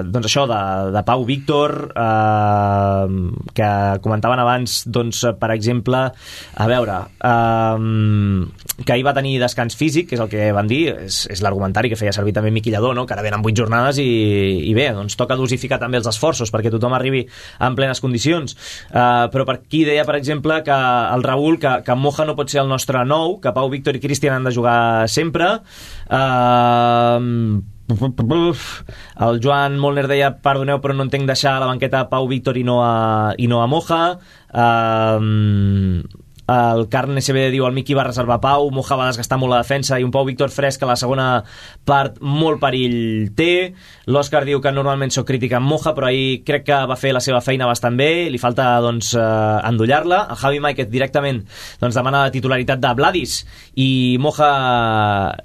doncs això, de, de Pau Víctor, eh, que comentaven abans, doncs, per exemple, a veure, eh, que ahir va tenir descans físic, que és el que van dir, és, és l'argumentari que feia servir també Miqui Lladó, no? Que ara venen vuit jornades i, i bé, doncs toca dosificar també els esforços perquè tothom arribi en plenes condicions. Eh, però per aquí deia, per exemple, que el Raül, que, que Moja no pot ser el nostre nou, que Pau Víctor i Cristian han de jugar sempre. Uh, el Joan Molner deia, perdoneu però no entenc deixar a la banqueta Pau Víctor i no a, i no a Moja. Uh, el Carn S B diu el Miqui va reservar Pau, Moja va desgastar molt la defensa i un Pau Víctor fresc a la segona part molt perill té. L'Òscar diu que normalment soc crítica amb Moja, però ahir crec que va fer la seva feina bastant bé, li falta doncs eh, endollar-la. El Javi Maiquet directament doncs, demana la titularitat de Vladis i Moja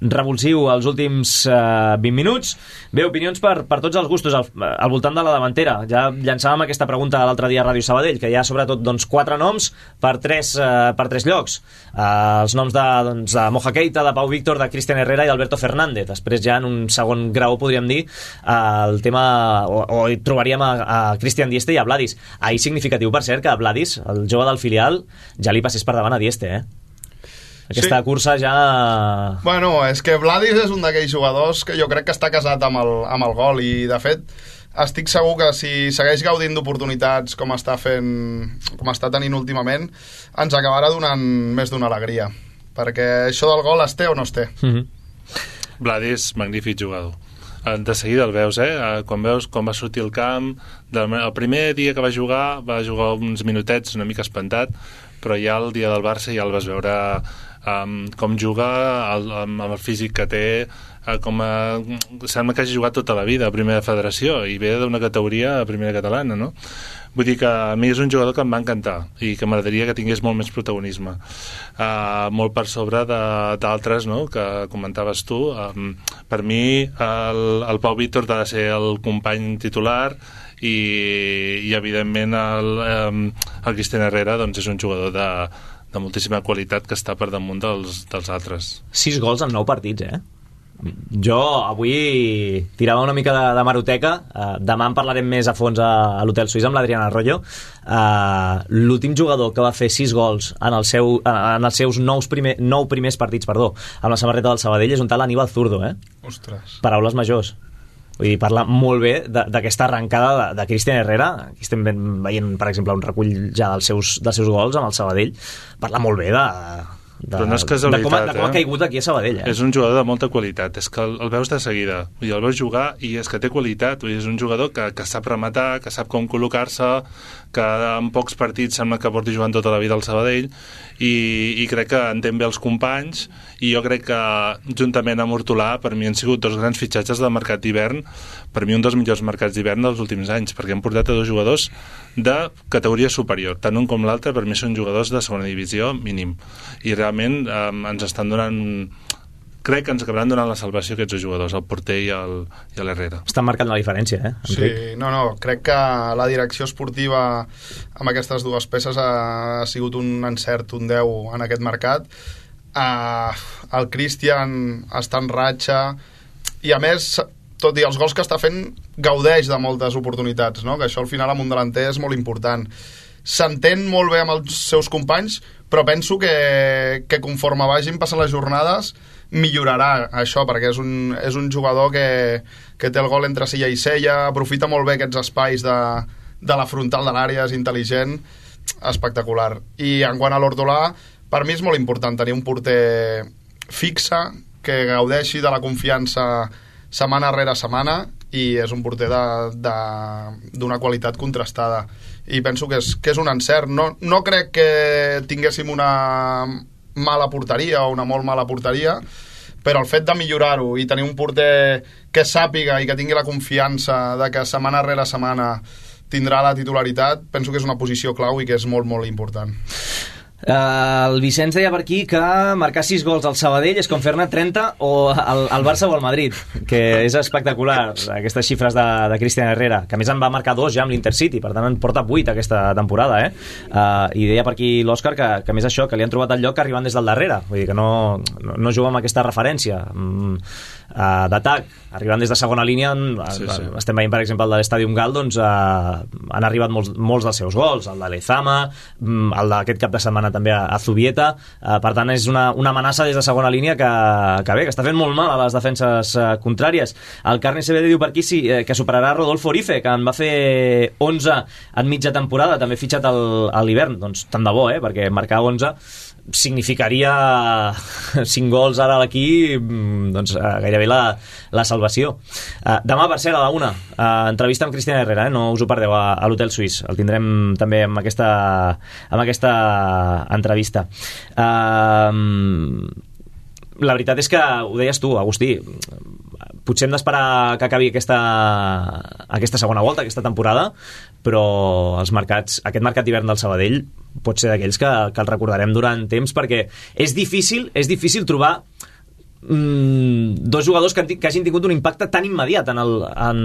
revulsiu els últims eh, vint minuts. Bé, opinions per, per tots els gustos al, al voltant de la davantera. Ja llançàvem aquesta pregunta l'altre dia a Ràdio Sabadell, que hi ha sobretot doncs, quatre noms per tres eh, per tres llocs. Uh, els noms de, doncs, de Moja Keita, de Pau Víctor, de Cristian Herrera i d'Alberto Fernández. Després ja en un segon grau podríem dir uh, el tema, o, o hi trobaríem a, a Cristian Dieste i a Vladis. Ahir significatiu, per cert, que a Vladis, el jove del filial, ja li passés per davant a Dieste, eh? Aquesta sí. Cursa ja... Bueno, és que Vladis és un d'aquells jugadors que jo crec que està casat amb el, amb el gol i, de fet, estic segur que si segueix gaudint d'oportunitats com està fent, com està tenint últimament, ens acabarà donant més d'una alegria. Perquè això del gol es té o no es té? Mm-hmm. Vladis, magnífic jugador. De seguida el veus, eh? Quan veus com va sortir al camp, el primer dia que va jugar, va jugar uns minutets una mica espantat, però ja el dia del Barça ja el vas veure um, com juga, el, amb el físic que té, uh, com a, sembla que hagi jugat tota la vida a primera federació i ve d'una categoria a primera catalana, no? Vull dir que a mi és un jugador que em va encantar i que m'agradaria que tingués molt més protagonisme, uh, molt per sobre d'altres, no?, que comentaves tu. Um, per mi el, el Pau Víctor ha de ser el company titular i, i evidentment el, um, el Cristian Herrera doncs, és un jugador de, de moltíssima qualitat que està per damunt dels, dels altres. Sis gols en nou partits, eh? Jo avui tirava una mica de, de maroteca. uh, demà en parlarem més a fons a, a l'Hotel Suís amb l'Adriana Arroyo. uh, l'últim jugador que va fer sis gols en, el seu, en els seus nous primer, nou primers partits, perdó, amb la samarreta del Sabadell és un tal Aníbal Zurdo, eh? Ostres. Paraules majors. Vull dir, parla molt bé d'aquesta arrencada de, de Cristian Herrera. Aquí estem veient, per exemple, un recull ja dels seus, dels seus gols amb el Sabadell. Parla molt bé de... De, però no és casualitat, de com, de com eh? ha caigut aquí a Sabadell, eh? És un jugador de molta qualitat, és que el, el veus de seguida, vull dir, el veus jugar i és que té qualitat, vull dir, és un jugador que, que sap rematar, que sap com col·locar-se, que en pocs partits sembla que porti jugant tota la vida al Sabadell i, i crec que entén bé els companys i jo crec que juntament amb Hortolà per mi han sigut dos grans fitxatges del mercat d'hivern, per mi un dels millors mercats d'hivern dels últims anys, perquè han portat a dos jugadors de categoria superior, tant un com l'altre per mi són jugadors de segona divisió mínim i realment eh, ens estan donant crec que ens acabaran donant la salvació aquests dos jugadors, el porter i el, i l'Herrera. Estan marcant la diferència, eh, Enric? Sí, no, no, crec que la direcció esportiva amb aquestes dues peces ha, ha sigut un encert, un deu en aquest mercat. Uh, el Cristian està en ratxa i a més, tot i els gols que està fent, gaudeix de moltes oportunitats, no? Que això al final amb un delanter és molt important. S'entén molt bé amb els seus companys, però penso que, que conforme vagin passant les jornades millorarà això, perquè és un, és un jugador que, que té el gol entre cella i cella, aprofita molt bé aquests espais de, de la frontal de l'àrea, és intel·ligent, espectacular. I en quant a l'Hortolà, per mi és molt important tenir un porter fixe, que gaudeixi de la confiança setmana rere setmana, i és un porter d'una qualitat contrastada, i penso que és, que és un encert. No, no crec que tinguéssim una mala porteria o una molt mala porteria, però el fet de millorar-ho i tenir un porter que sàpiga i que tingui la confiança de que setmana rere setmana tindrà la titularitat, penso que és una posició clau i que és molt, molt important. Uh, el Vicenç deia per aquí que marcar sis gols al Sabadell és com fer-ne trenta o al, al Barça o al Madrid, que és espectacular aquestes xifres de, de Cristian Herrera, que a més en va marcar dos ja amb l'Intercity, per tant en porta vuit aquesta temporada, eh? Uh, i deia per aquí l'Òscar que, que a més això, que li han trobat el lloc arribant des del darrere, vull dir que no, no, no juga amb aquesta referència mm, uh, d'atac, arribant des de segona línia. Sí, sí. Estem veient per exemple el de l'Estadium Gal, doncs uh, han arribat molts, molts dels seus gols, el de Lezama, el d'aquest cap de setmana també a, a Zubieta, uh, per tant és una, una amenaça des de segona línia que, que bé, que està fent molt mal a les defenses uh, contràries. El Carni C B D diu per aquí sí, eh, que superarà Rodolfo Orife, que en va fer onze en mitja temporada, també fitxat al, a l'hivern. Doncs tant de bo, eh, perquè marcar onze significaria cinc gols ara a l'equip, doncs gairebé la, la salvació. Uh, demà, per cert, a la una, uh, entrevista amb Cristian Herrera, eh? No us ho perdeu, a, a l'Hotel Suís. El tindrem també amb aquesta, amb aquesta entrevista. Uh, la veritat és que, ho deies tu, Agustí, potser hem d'esperar que acabi aquesta, aquesta segona volta, aquesta temporada, però els mercats, aquest mercat d'hivern del Sabadell pot ser d'aquells que, que el recordarem durant temps, perquè és difícil, és difícil trobar mm, dos jugadors que, que hagin tingut un impacte tan immediat en, el, en,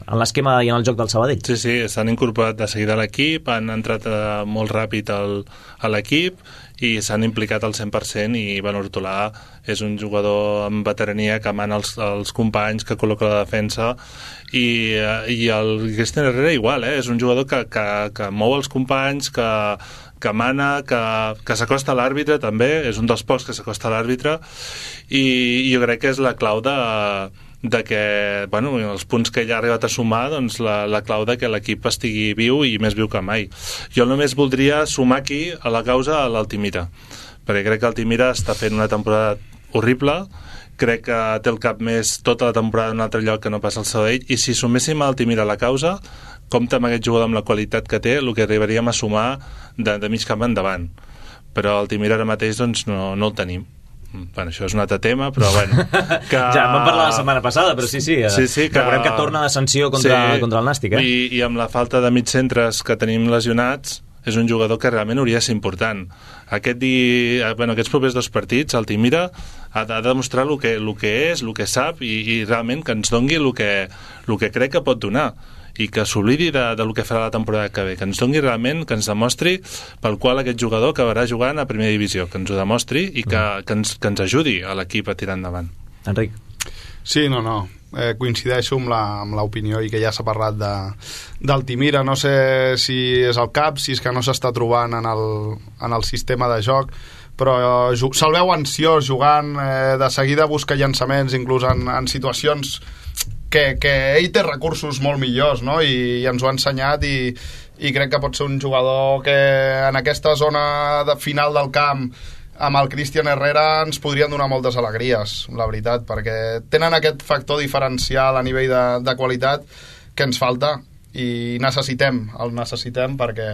en l'esquema i en el joc del Sabadell. Sí, sí, s'han incorporat de seguida a l'equip, han entrat eh, molt ràpid al, a l'equip i s'han implicat al cent per cent, i Ivan Hortolà és un jugador amb veterania que mana els, els companys, que col·loca la defensa, i, i el Cristian Herrera igual, eh? És un jugador que, que, que mou els companys, que, que mana, que, que s'acosta a l'àrbitre també, és un dels pocs que s'acosta a l'àrbitre, i, i jo crec que és la clau de, de que, bueno, els punts que ell ha arribat a sumar, doncs la, la clau de que l'equip estigui viu i més viu que mai. Jo només voldria sumar aquí a la causa a l'Altimira, perquè crec que l'Altimira està fent una temporada horrible, crec que té el cap més tota la temporada en un altre lloc que no passa al Sabadell, i si suméssim a Altimira a la causa, compta amb aquest jugador amb la qualitat que té, el que arribaríem a sumar de, de mig camp endavant. Però Altimira ara mateix doncs no, no el tenim. Bueno, això és un altre tema, però bueno que... Ja en vam parlar la setmana passada, però sí, sí, sí, sí que... recordem que torna de sanció contra, sí, contra el Nàstic, eh? I, i amb la falta de mig centres que tenim lesionats, és un jugador que realment hauria de ser important. Aquest di... bueno, aquests propers dos partits Altimira ha de demostrar el que, el que és, el que sap, i, i realment que ens dongui el que, el que crec que pot donar, i que s'oblidi de, de lo que farà la temporada que ve, que ens doni realment, que ens demostri pel qual aquest jugador acabarà jugant a primera divisió, que ens ho demostri i que, mm. que, ens, que ens ajudi a l'equip a tirar endavant. Enric. Sí, no, no, eh, coincideixo amb la, amb l'opinió, i que ja s'ha parlat de, d'Altimira. No sé si és el cap, si és que no s'està trobant en el, en el sistema de joc, però eh, se'l veu ansiós jugant, eh, de seguida busca llançaments, inclús en, en situacions que, que ell té recursos molt millors, no? I, i ens ho ha ensenyat, i, i crec que pot ser un jugador que en aquesta zona de final del camp amb el Cristian Herrera ens podrien donar moltes alegries, la veritat, perquè tenen aquest factor diferencial a nivell de, de qualitat que ens falta, i necessitem, el necessitem perquè...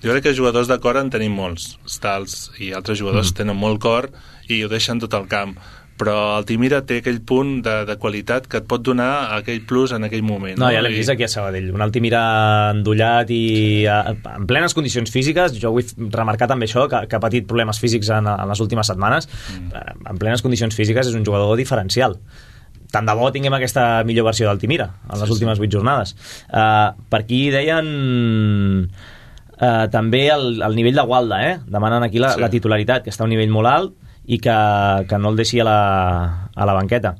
Jo crec que jugadors de cor en tenim molts, Stals i altres jugadors mm. tenen molt cor i ho deixen tot el camp, però Altimira té aquell punt de, de qualitat que et pot donar aquell plus en aquell moment. No, no? Ja l'hem vist aquí a Sabadell, un Altimira endollat i a, en plenes condicions físiques. Jo vull remarcar també això, que, que ha patit problemes físics en, en les últimes setmanes. Mm. En plenes condicions físiques és un jugador diferencial. Tant de bo tinguem aquesta millor versió d'Altimira en les sí, últimes vuit jornades. Uh, per aquí deien uh, també el, el nivell de Gualda, eh? Demanen aquí la, sí. la titularitat, que està a un nivell molt alt i que, que no el deixi a la, a la banqueta.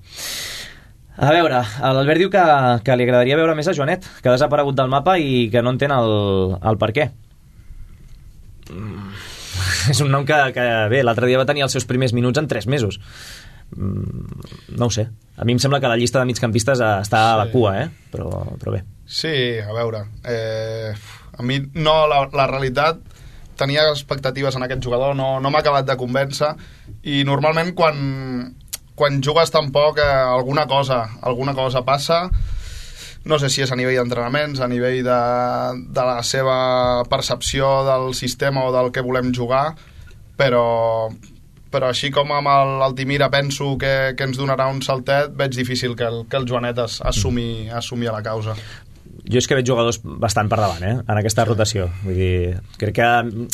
A veure, l'Albert diu que, que li agradaria veure més a Joanet, que ha desaparegut del mapa i que no entén el, el per què. Mm. És un nom que, que bé, l'altre dia va tenir els seus primers minuts en tres mesos. Mm, no ho sé. A mi em sembla que la llista de migcampistes està a la cua, eh? Però, però bé. Sí, a veure. Eh, a mi no, la, la realitat tenia expectatives en aquest jugador, no, no m'ha acabat de convèncer, i normalment quan, quan jugues tan poc eh, alguna cosa alguna cosa passa. No sé si és a nivell d'entrenaments, a nivell de, de la seva percepció del sistema o del que volem jugar, però però així com amb l'Altimira penso que, que ens donarà un saltet, veig difícil que el, que el Joanet es, assumi, assumi a la causa. Jo és que veig jugadors bastant per davant, eh, en aquesta rotació. Vull dir, crec que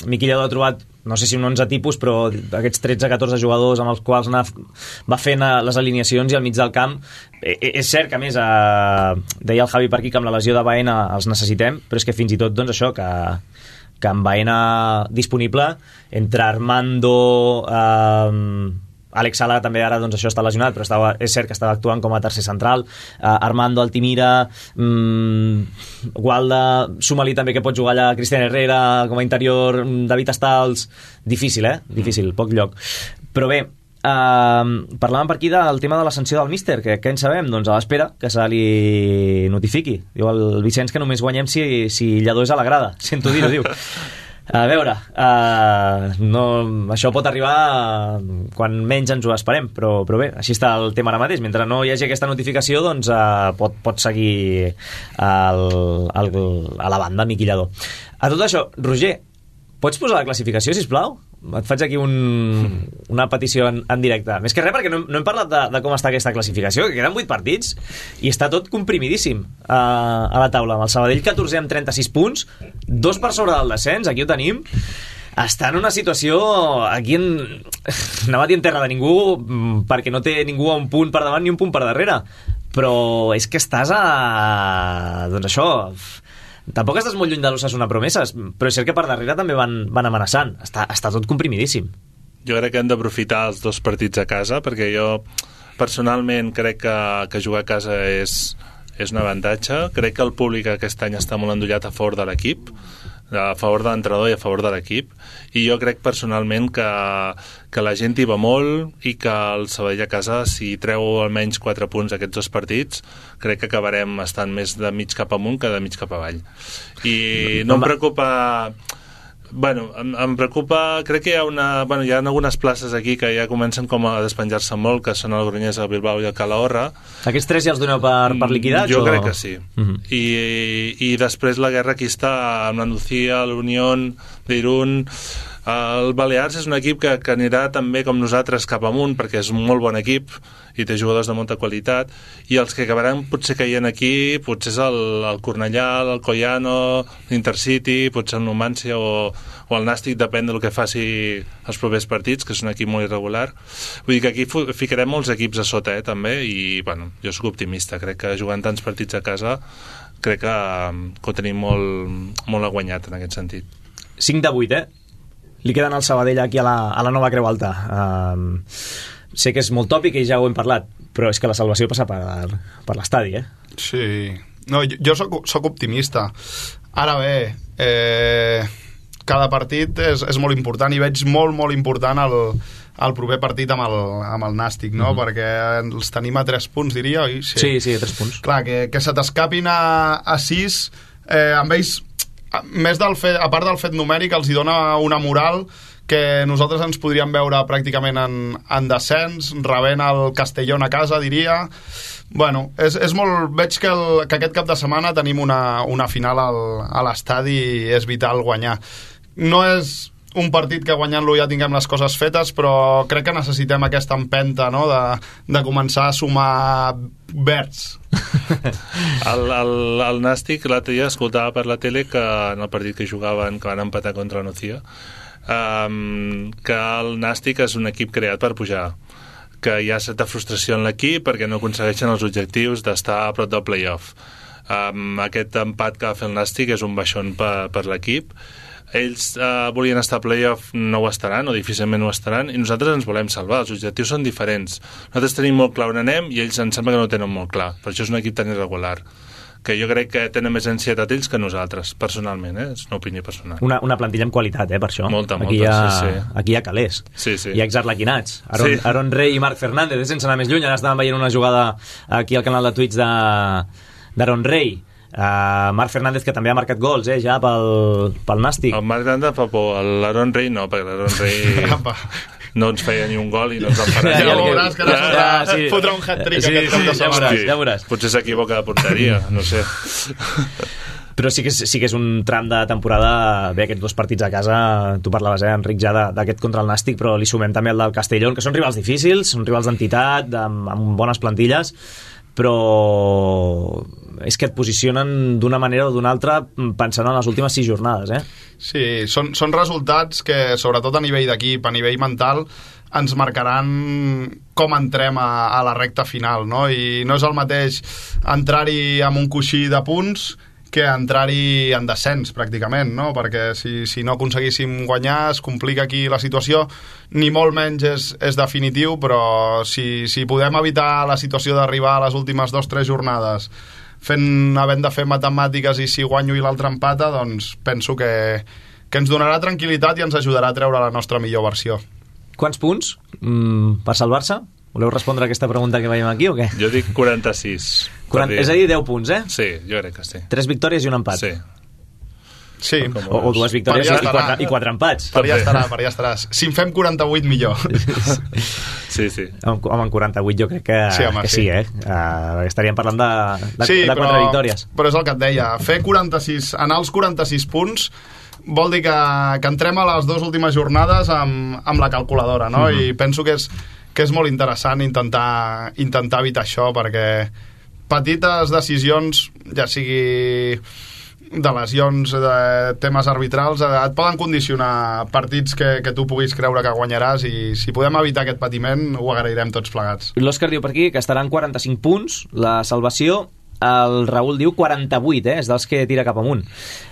Miquillado ha trobat, no sé si un onze tipus, però aquests tretze catorze jugadors amb els quals anar, va fent les alineacions i al mig del camp. Eh, és cert que, a més, eh, deia el Javi per aquí que amb la lesió de Baena els necessitem, però és que fins i tot, doncs, això, que que amb Baena disponible, entre Armando, eh, Àlex Sala també ara, doncs, això està lesionat, però estava, és cert que estava actuant com a tercer central, eh, Armando, Altimira, mm, Gualda, suma-li també que pot jugar allà Cristian Herrera com a interior, David Estals, difícil, eh? Difícil, poc lloc. Però bé, Uh, parlàvem per aquí del tema de la sanció del míster, que què en sabem? Doncs a l'espera que se li notifiqui. Diu el Vicenç que només guanyem si, si Lledó és a la grada, sento dir-ho, diu. A veure, uh, no, això pot arribar quan menys ens ho esperem, però, però bé, així està el tema ara mateix. Mentre no hi hagi aquesta notificació, doncs uh, pot, pot seguir el, el, a la banda Miquillado. A tot això, Roger, pots posar la classificació, sisplau? Et faig aquí un, una petició en, en directe. Més que res perquè no, no hem parlat de, de com està aquesta classificació, que queden vuit partits i està tot comprimidíssim a, a la taula. Amb el Sabadell catorzè amb trenta-sis punts, dos per sobre del descens, aquí ho tenim. Està en una situació aquí en... anava a dir en terra de ningú, perquè no té ningú a un punt per davant ni un punt per darrere, però és que estàs a... doncs això... Tampoc estàs molt lluny de l'Osasuna Promeses, però és cert que per darrere també van, van amenaçant. Està, està tot comprimidíssim. Jo crec que hem d'aprofitar els dos partits a casa, perquè jo personalment crec que, que jugar a casa és, és un avantatge. Crec que el públic aquest any està molt endollat a favor de l'equip, a favor de l'entrenador i a favor de l'equip, i jo crec personalment que, que la gent hi va molt i que el Sabadell a casa, si treu almenys quatre punts aquests dos partits, crec que acabarem estant més de mig cap amunt que de mig cap avall. I no em preocupa... Bueno, em, em preocupa, crec que hi ha una, bueno, hi ha algunes places aquí que ja comencen com a despenjar-se molt, que són el Granyers, el Bilbao i el Calahorra. Aquests tres ja els doneu per, per liquidats? Jo o... crec que sí. Uh-huh. I, i després la guerra aquí està amb la Nucía, l'Unión d'Irún. El Balears és un equip que, que anirà també com nosaltres cap amunt, perquè és un molt bon equip i té jugadors de molta qualitat, i els que acabaran potser caient aquí potser és el, el Cornellà, el Collano, l'Intercity, potser el Numancia o, o el Nàstic, depèn del que faci els propers partits, que és un equip molt irregular. Vull dir que aquí ficarem molts equips a sota, eh, també, i bueno, jo sóc optimista, crec que jugant tants partits a casa crec que, que ho tenim molt, molt guanyat en aquest sentit. cinc de vuit, eh? Li queden al Sabadell aquí a la, a la nova Creu Alta. Um, sé que és molt tòpic i ja ho hem parlat, però és que la salvació passa per, per l'estadi, eh? Sí. No, jo, jo soc, soc optimista. Ara bé, eh, cada partit és, és molt important i veig molt, molt important el, el proper partit amb el, amb el Nàstic, no? Mm-hmm. Perquè els tenim a tres punts, diria, oi? Sí, sí, sí a tres punts. Clar, que, que se t'escapin a, a sis, eh, amb ells... més del fet, a part del fet numèric, els hi dona una moral que nosaltres ens podríem veure pràcticament en, en descens, rebent el Castellón a casa, diria. Bueno, és, és molt... veig que, el, que aquest cap de setmana tenim una, una final al, a l'estadi i és vital guanyar. No és un partit que guanyant-lo ja tinguem les coses fetes, però crec que necessitem aquesta empenta, no?, de, de començar a sumar verds. el, el, el Nàstic l'altre dia escoltava per la tele que en el partit que jugaven, que van empatar contra la Nucía, um, que el Nàstic és un equip creat per pujar, que hi ha certa frustració en l'equip perquè no aconsegueixen els objectius d'estar a prop del play-off. Um, aquest empat que va fer el Nàstic és un baixón per, per l'equip. Ells uh, volien estar a playoff, no ho estaran, o difícilment ho estaran, i nosaltres ens volem salvar, els objectius són diferents. Nosaltres tenim molt clar on anem i ells em sembla que no ho tenen molt clar, per això és un equip tan irregular, que jo crec que tenen més ansietat ells que nosaltres, personalment, eh? És una opinió personal. Una, una plantilla amb qualitat, eh, per això. Molta, molta, aquí hi ha, sí, sí. Aquí hi ha calés. Sí, sí. Hi ha exarlequinats. Aaron, sí. Aaron Rey i Marc Fernández, sense anar més lluny, ara estàvem veient una jugada aquí al canal de Twitch d'Aaron Rey. Uh, Marc Fernández, que també ha marcat gols, eh, ja pel, pel Nàstic. El Marc Fernández fa por, l'Aaron Rey no, perquè l'Aaron Rey no ens feia ni un gol i no ens en farà. Ja ho veuràs, que ara fotrà, sí. fotrà un hat-trick sí, aquest sí, cap de ja setmana. veuràs, ja veuràs. Potser s'equivoca de porteria, no sé. Però sí que, és, sí que és un tram de temporada. Bé, aquests dos partits a casa, tu parlaves, eh, Enric, ja d'aquest contra el Nàstic, però li sumem també el del Castellón, que són rivals difícils, són rivals d'entitat, amb, amb bones plantilles, però és que et posicionen d'una manera o d'una altra pensant en les últimes sis jornades, eh? Sí, són, són resultats que, sobretot a nivell d'equip, a nivell mental, ens marcaran com entrem a, a la recta final, no? I no és el mateix entrar-hi amb un coixí de punts que entrar-hi en descens, pràcticament, no? Perquè si, si no aconseguíssim guanyar es complica aquí la situació, ni molt menys és, és definitiu, però si, si podem evitar la situació d'arribar a les últimes dos o tres jornades fent, havent de fer matemàtiques i si guanyo i l'altre empata, doncs penso que, que ens donarà tranquil·litat i ens ajudarà a treure la nostra millor versió. Quants punts mm, per salvar-se? Voleu respondre a aquesta pregunta que veiem aquí o què? Jo dic quaranta-sis. quaranta, és a dir, deu punts, eh? Sí, jo crec que sí. Tres victòries i un empat. Sí. Sí. O, o dues victòries i quatre, i quatre empats. Per ja estarà, per ja estaràs. Si en fem quaranta-vuit, millor. Sí, sí. Home, en quaranta-vuit jo crec que sí, home, que sí. sí, eh? Uh, estaríem parlant de, de, sí, de quatre però, victòries. Però és el que et deia. Fer quaranta-sis, anar als quaranta-sis punts vol dir que, que entrem a les dues últimes jornades amb, amb la calculadora, no? Mm-hmm. I penso que és, que és molt interessant intentar, intentar evitar això, perquè petites decisions, ja sigui de lesions, de temes arbitrals, et poden condicionar partits que, que tu puguis creure que guanyaràs, i si podem evitar aquest patiment ho agrairem tots plegats. L'Òscar diu per aquí que estaran quaranta-cinc punts la salvació. El Raül diu quaranta-vuit, eh? És dels que tira cap amunt.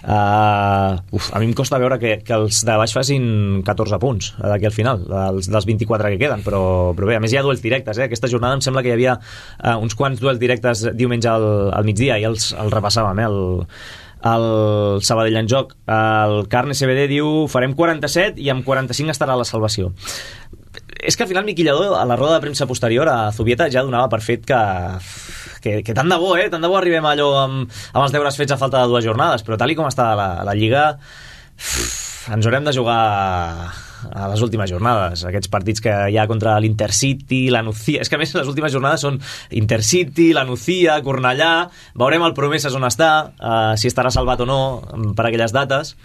Uh, uf, a mi em costa veure que, que els de baix facin catorze punts d'aquí al final, dels, dels vint-i-quatre que queden, però, però bé, a més hi ha duels directes, eh? Aquesta jornada em sembla que hi havia uh, uns quants duels directes diumenge al, al migdia, i els, els repassàvem, eh? El, el Sabadell en joc. El Carne C B D diu farem quaranta-set i amb quaranta-cinc estarà la salvació. És que al final Miqui Lladó, a la roda de premsa posterior a Zubieta, ja donava per fet que, que, que tant de bo, eh? Tant de bo arribem a allò amb, amb els deures fets a falta de dues jornades, però tal i com està la, la Lliga, ens haurem de jugar a les últimes jornades, aquests partits que hi ha contra l'Intercity, la Nucía, és que a més les últimes jornades són Intercity, la Nucía, Cornellà, veurem el Promeses on està, uh, si estarà salvat o no per aquelles dates.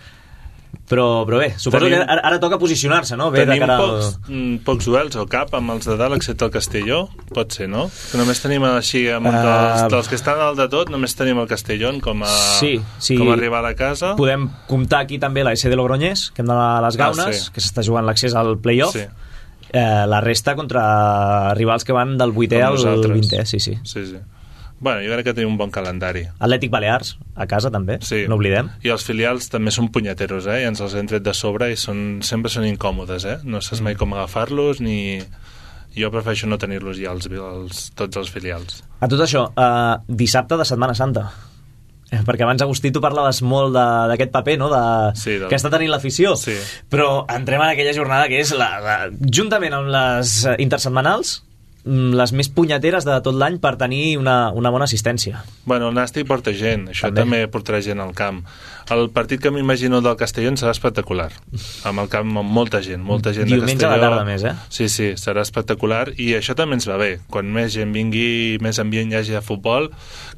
Però, però bé, suposo tenim, que ara, ara toca posicionar-se, no? Bé, tenim de cara pocs, al... pocs duels al cap amb els de dalt, excepte el Castelló, pot ser, no? Que només tenim així, amb uh, dels, dels que estan dalt de tot, només tenim el Castellón com a, sí, sí. com a rival a casa. Podem comptar aquí també la S de Logroñés, que hem d'anar a les Gaunes, ah, sí. que s'està jugant l'accés al play-off. Sí. Eh, la resta contra rivals que van del vuitè al vintè, sí, sí. Sí, sí. Bueno, jo crec que tenim un bon calendari. Atlètic Balears, a casa també, sí. No oblidem. I els filials també són punyeteros, eh? I ens els hem tret de sobre i són, sempre són incòmodes, eh? No saps mai com agafar-los, ni... Jo prefereixo no tenir-los ja, els, els, tots els filials. A tot això, eh, dissabte de Setmana Santa. Eh, perquè abans, Agustí, tu parlaves molt d'aquest paper, no? De, sí, del... que està tenint l'afició. Sí. Però entrem en aquella jornada que és, la, la, juntament amb les intersetmanals, les més punyeteres de tot l'any per tenir una, una bona assistència. Bueno, el Nàstic porta gent, això també. també portarà gent al camp. El partit que m'imagino del Castellón serà espectacular, amb el camp amb molta gent, molta gent de Castelló. Diumenge a la tarda més, eh? Sí, sí, serà espectacular, i això també ens va bé. Quan més gent vingui, més ambient hi hagi de futbol,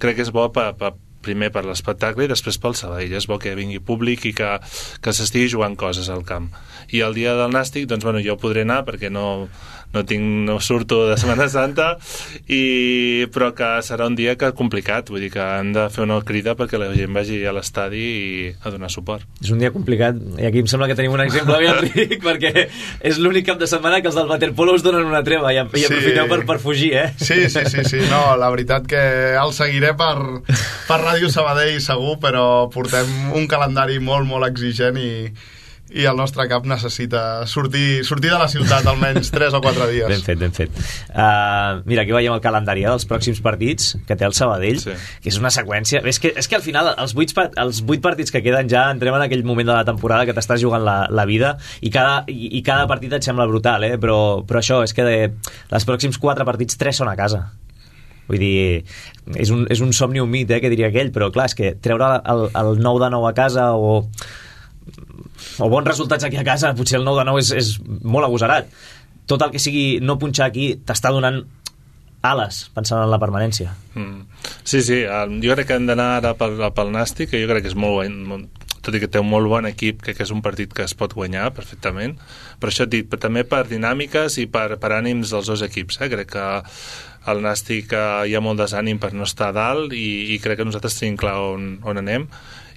crec que és bo per, per, primer per l'espectacle i després pel Sabadell. És bo que vingui públic i que, que s'estigui jugant coses al camp. I el dia del Nàstic, doncs, bueno, jo podré anar perquè no... no tinc, no surto de Setmana Santa, i, però que serà un dia que complicat, vull dir que han de fer una crida perquè la gent vagi a l'estadi i a donar suport. És un dia complicat, i aquí em sembla que tenim un exemple ben ric, perquè és l'únic cap de setmana que els del waterpolo us donen una treva i, i aprofiteu sí. per, per fugir, eh? Sí, sí, sí, sí, no, la veritat que el seguiré per, per Ràdio Sabadell segur, però portem un calendari molt, molt exigent i i el nostre cap necessita sortir, sortir de la ciutat almenys tres o quatre dies. Ben fet, ben fet. Uh, mira, aquí veiem el calendari dels pròxims partits que té el Sabadell, sí. que és una seqüència. És que, és que al final els vuit, els vuit partits que queden ja entrem en aquell moment de la temporada que t'estàs jugant la, la vida, i cada, i, i cada partit et sembla brutal, eh? però, però això, és que de, els pròxims quatre partits, tres són a casa. Vull dir, és un, és un somni humit, eh, que diria aquell, però clar, és que treure el, el nou de nou a casa o, o bons resultats aquí a casa, potser el nou de nou és, és molt agosarat. Tot el que sigui no punxar aquí t'està donant ales, pensant en la permanència. Mm. Sí, sí, jo crec que hem d'anar ara pel, pel Nàstic, que jo crec que és molt bon, tot i que té un molt bon equip, crec que és un partit que es pot guanyar perfectament, però això et dit, però també per dinàmiques i per, per ànims dels dos equips, eh? Crec que al Nàstic hi ha molt desànim per no estar a dalt i, i crec que nosaltres tenim clar on, on anem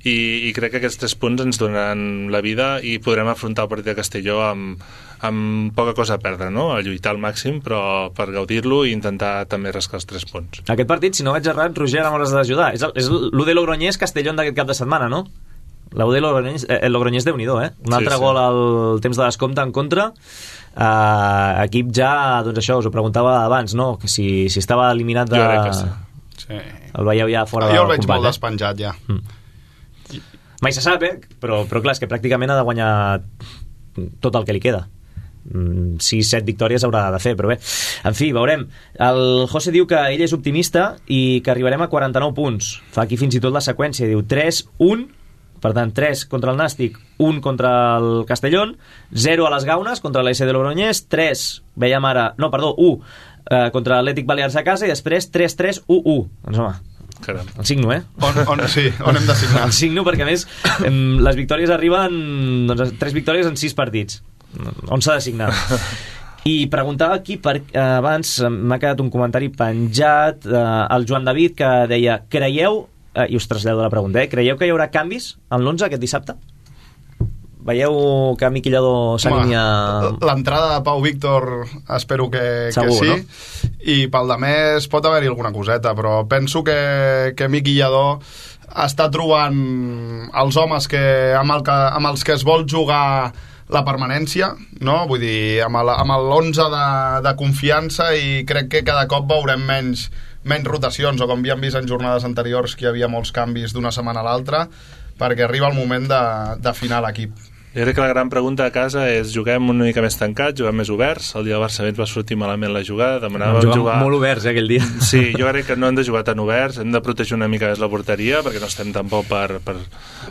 i, i crec que aquests tres punts ens donaran la vida i podrem afrontar el partit de Castelló amb, amb poca cosa a perdre, no? A lluitar al màxim, però per gaudir-lo i intentar també rascar els tres punts. Aquest partit, si no vaig errat, Roger, ara m'hauràs d'ajudar. És, és l'U D Logroñés-Castellón d'aquest cap de setmana, no? L'U D Logroñés, eh, el Logroñés déu-n'hi-do, eh? Un altre sí, sí. gol al temps de descompte en contra. Uh, equip ja, doncs això, us ho preguntava abans, no? Que si, si estava eliminat de... Jo crec que sí. sí. El veieu ja fora ah, del company. Jo el veig molt eh? despenjat, ja. Mm. Mai se sap, eh? Però, però clar, és que pràcticament ha de guanyar tot el que li queda. sis set victòries haurà de fer, però bé, en fi, veurem. El José diu que ell és optimista i que arribarem a quaranta-nou punts. Fa aquí fins i tot la seqüència, diu tres un, per tant tres contra el Nàstic, un contra el Castellón, zero a les Gaunes contra l'A S de Logroñés, tres, veiem ara, no, perdó, u eh, contra l'Atlètic Balears a casa i després tres tres u u. Doncs home, caram. El signo, eh? On, on, sí, on hem de signar? El signo, perquè a més les victòries arriben, doncs, tres victòries en sis partits. On s'ha de signar? I preguntava aquí per, eh, abans m'ha quedat un comentari penjat, eh, el Joan David, que deia, creieu, eh, i us trasllado la pregunta, eh, creieu que hi haurà canvis en l'onze aquest dissabte? Veieu que Miqui Lladó s'alinea... L'entrada de Pau Víctor espero que, Segur, que sí, no? I pel de més pot haver-hi alguna coseta, però penso que, que Miqui Lladó està trobant els homes que, amb, el que, amb els que es vol jugar la permanència, no? Vull dir, amb l'onze de, de confiança, i crec que cada cop veurem menys, menys rotacions, o com havíem vist en jornades anteriors que hi havia molts canvis d'una setmana a l'altra, perquè arriba el moment d'afinar l'equip. Jo crec que la gran pregunta a casa és, juguem una mica més tancats, juguem més oberts? El dia del Barça ens va sortir malament la jugada, demanàvem jugar... jugar... molt oberts, eh, aquell dia. Sí, jo crec que no hem de jugar tan oberts, hem de protegir una mica més la porteria, perquè no estem tampoc per, per,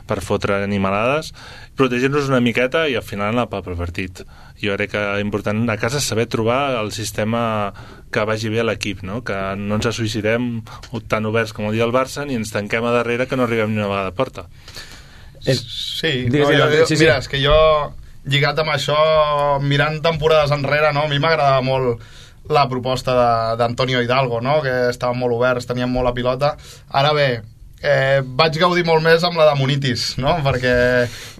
per fotre animalades, protegir-nos una miqueta i al final anar pel partit. Jo crec que és important a casa saber trobar el sistema que vagi bé a l'equip, no? Que no ens suïcidem tan oberts com el dia del Barça ni ens tanquem a darrere que no arribem ni una vegada a porta. És... Sí, no, jo, jo, sí, sí, mira, és que jo lligat amb això, mirant temporades enrere, no? A mi m'agradava molt la proposta d'Antonio Hidalgo, no? Que estaven molt oberts, tenien molt la pilota. Ara bé, eh, vaig gaudir molt més amb la de Munitis, no? Perquè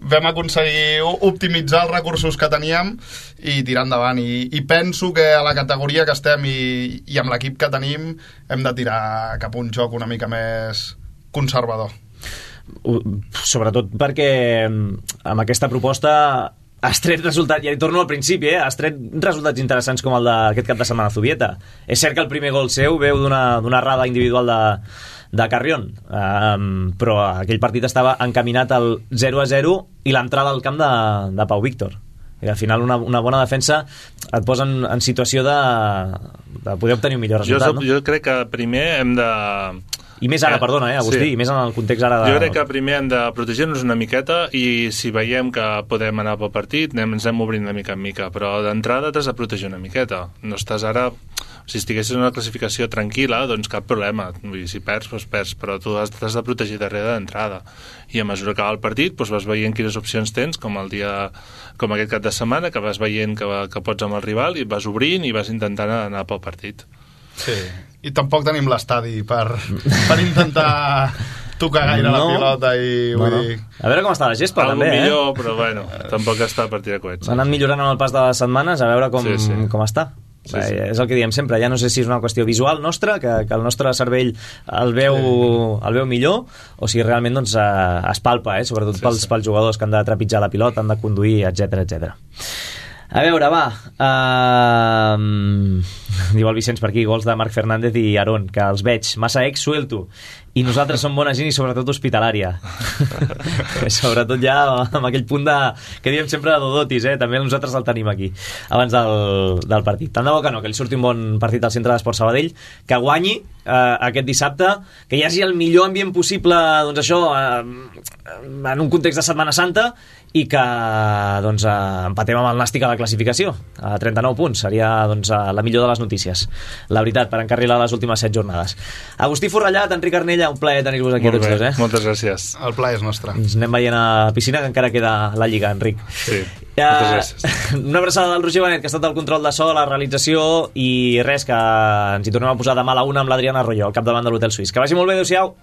vam aconseguir optimitzar els recursos que teníem i tirar endavant, i, i penso que a la categoria que estem i, i amb l'equip que tenim hem de tirar cap a un joc una mica més conservador. Sobretot perquè amb aquesta proposta has tret resultats, ja hi torno al principi, eh? Has tret resultats interessants com el d'aquest cap de setmana a Zubieta. És cert que el primer gol seu veu d'una errada individual de, de Carrión, um, però aquell partit estava encaminat al zero a zero i l'entrada al camp de, de Pau Víctor. I al final una, una bona defensa et posa en, en situació de, de poder obtenir un millor resultat. Jo, no? jo crec que primer hem de... I més ara, perdona, eh, Agustí, sí. I més en el context ara de... Jo crec que primer hem de protegir-nos una miqueta i si veiem que podem anar pel partit anem, ens anem obrint de mica en mica, però d'entrada t'has de protegir una miqueta. No estàs ara... Si estiguessis en una classificació tranquil·la, doncs cap problema. Vull dir, si perds, doncs perds, però tu has, t'has de protegir darrere d'entrada. I a mesura que va el partit, doncs vas veient quines opcions tens, com el dia, com aquest cap de setmana, que vas veient que, que pots amb el rival i vas obrint i vas intentant anar pel partit. Sí, i tampoc tenim l'estadi per, per intentar tocar gaire no. la pilota i no, vull no. dir... A veure com està la gespa, Algo també, millor, eh? Però bueno, tampoc està a partir de coets. S'ha anat millorant amb el pas de les setmanes, a veure com, sí, sí. com està. Sí, sí. És el que diem sempre, ja no sé si és una qüestió visual nostra, que, que el nostre cervell el veu, sí. el veu millor, o si realment doncs, es palpa, eh? Sobretot sí, pels, sí. pels jugadors que han de trepitjar la pilota, han de conduir, etcètera, etcètera. A veure, va, uh, diu el Vicenç per aquí, gols de Marc Fernández i Aarón, que els veig massa ex suelto, i nosaltres som bona gent i sobretot hospitalària. Sobretot ja amb aquell punt de, que diem sempre de Dodotis, eh? També nosaltres el tenim aquí abans del, del partit. Tant de bo que no, que li surti un bon partit al Centre d'Esport Sabadell, que guanyi eh, aquest dissabte, que hi hagi el millor ambient possible, doncs això, eh, en un context de Setmana Santa, i que doncs, eh, empatem amb el Nàstic a la classificació a trenta-nou punts, seria doncs, la millor de les notícies, la veritat, per encarrilar les últimes set jornades. Agustí Forrellat, Enric Arnella, un plaer tenir-vos aquí. Molt a tots bé, dos, eh? Moltes gràcies. El plaer és nostre. Ens anem veient a piscina, que encara queda la Lliga, Enric. Sí, moltes gràcies. Una abraçada del Roger Benet, que ha estat el control de so, la realització, i res, que ens hi tornem a posar demà a la una amb l'Adriana Arroyo, al capdavant de l'Hotel Suís. Que vagi molt bé, adéu-siau.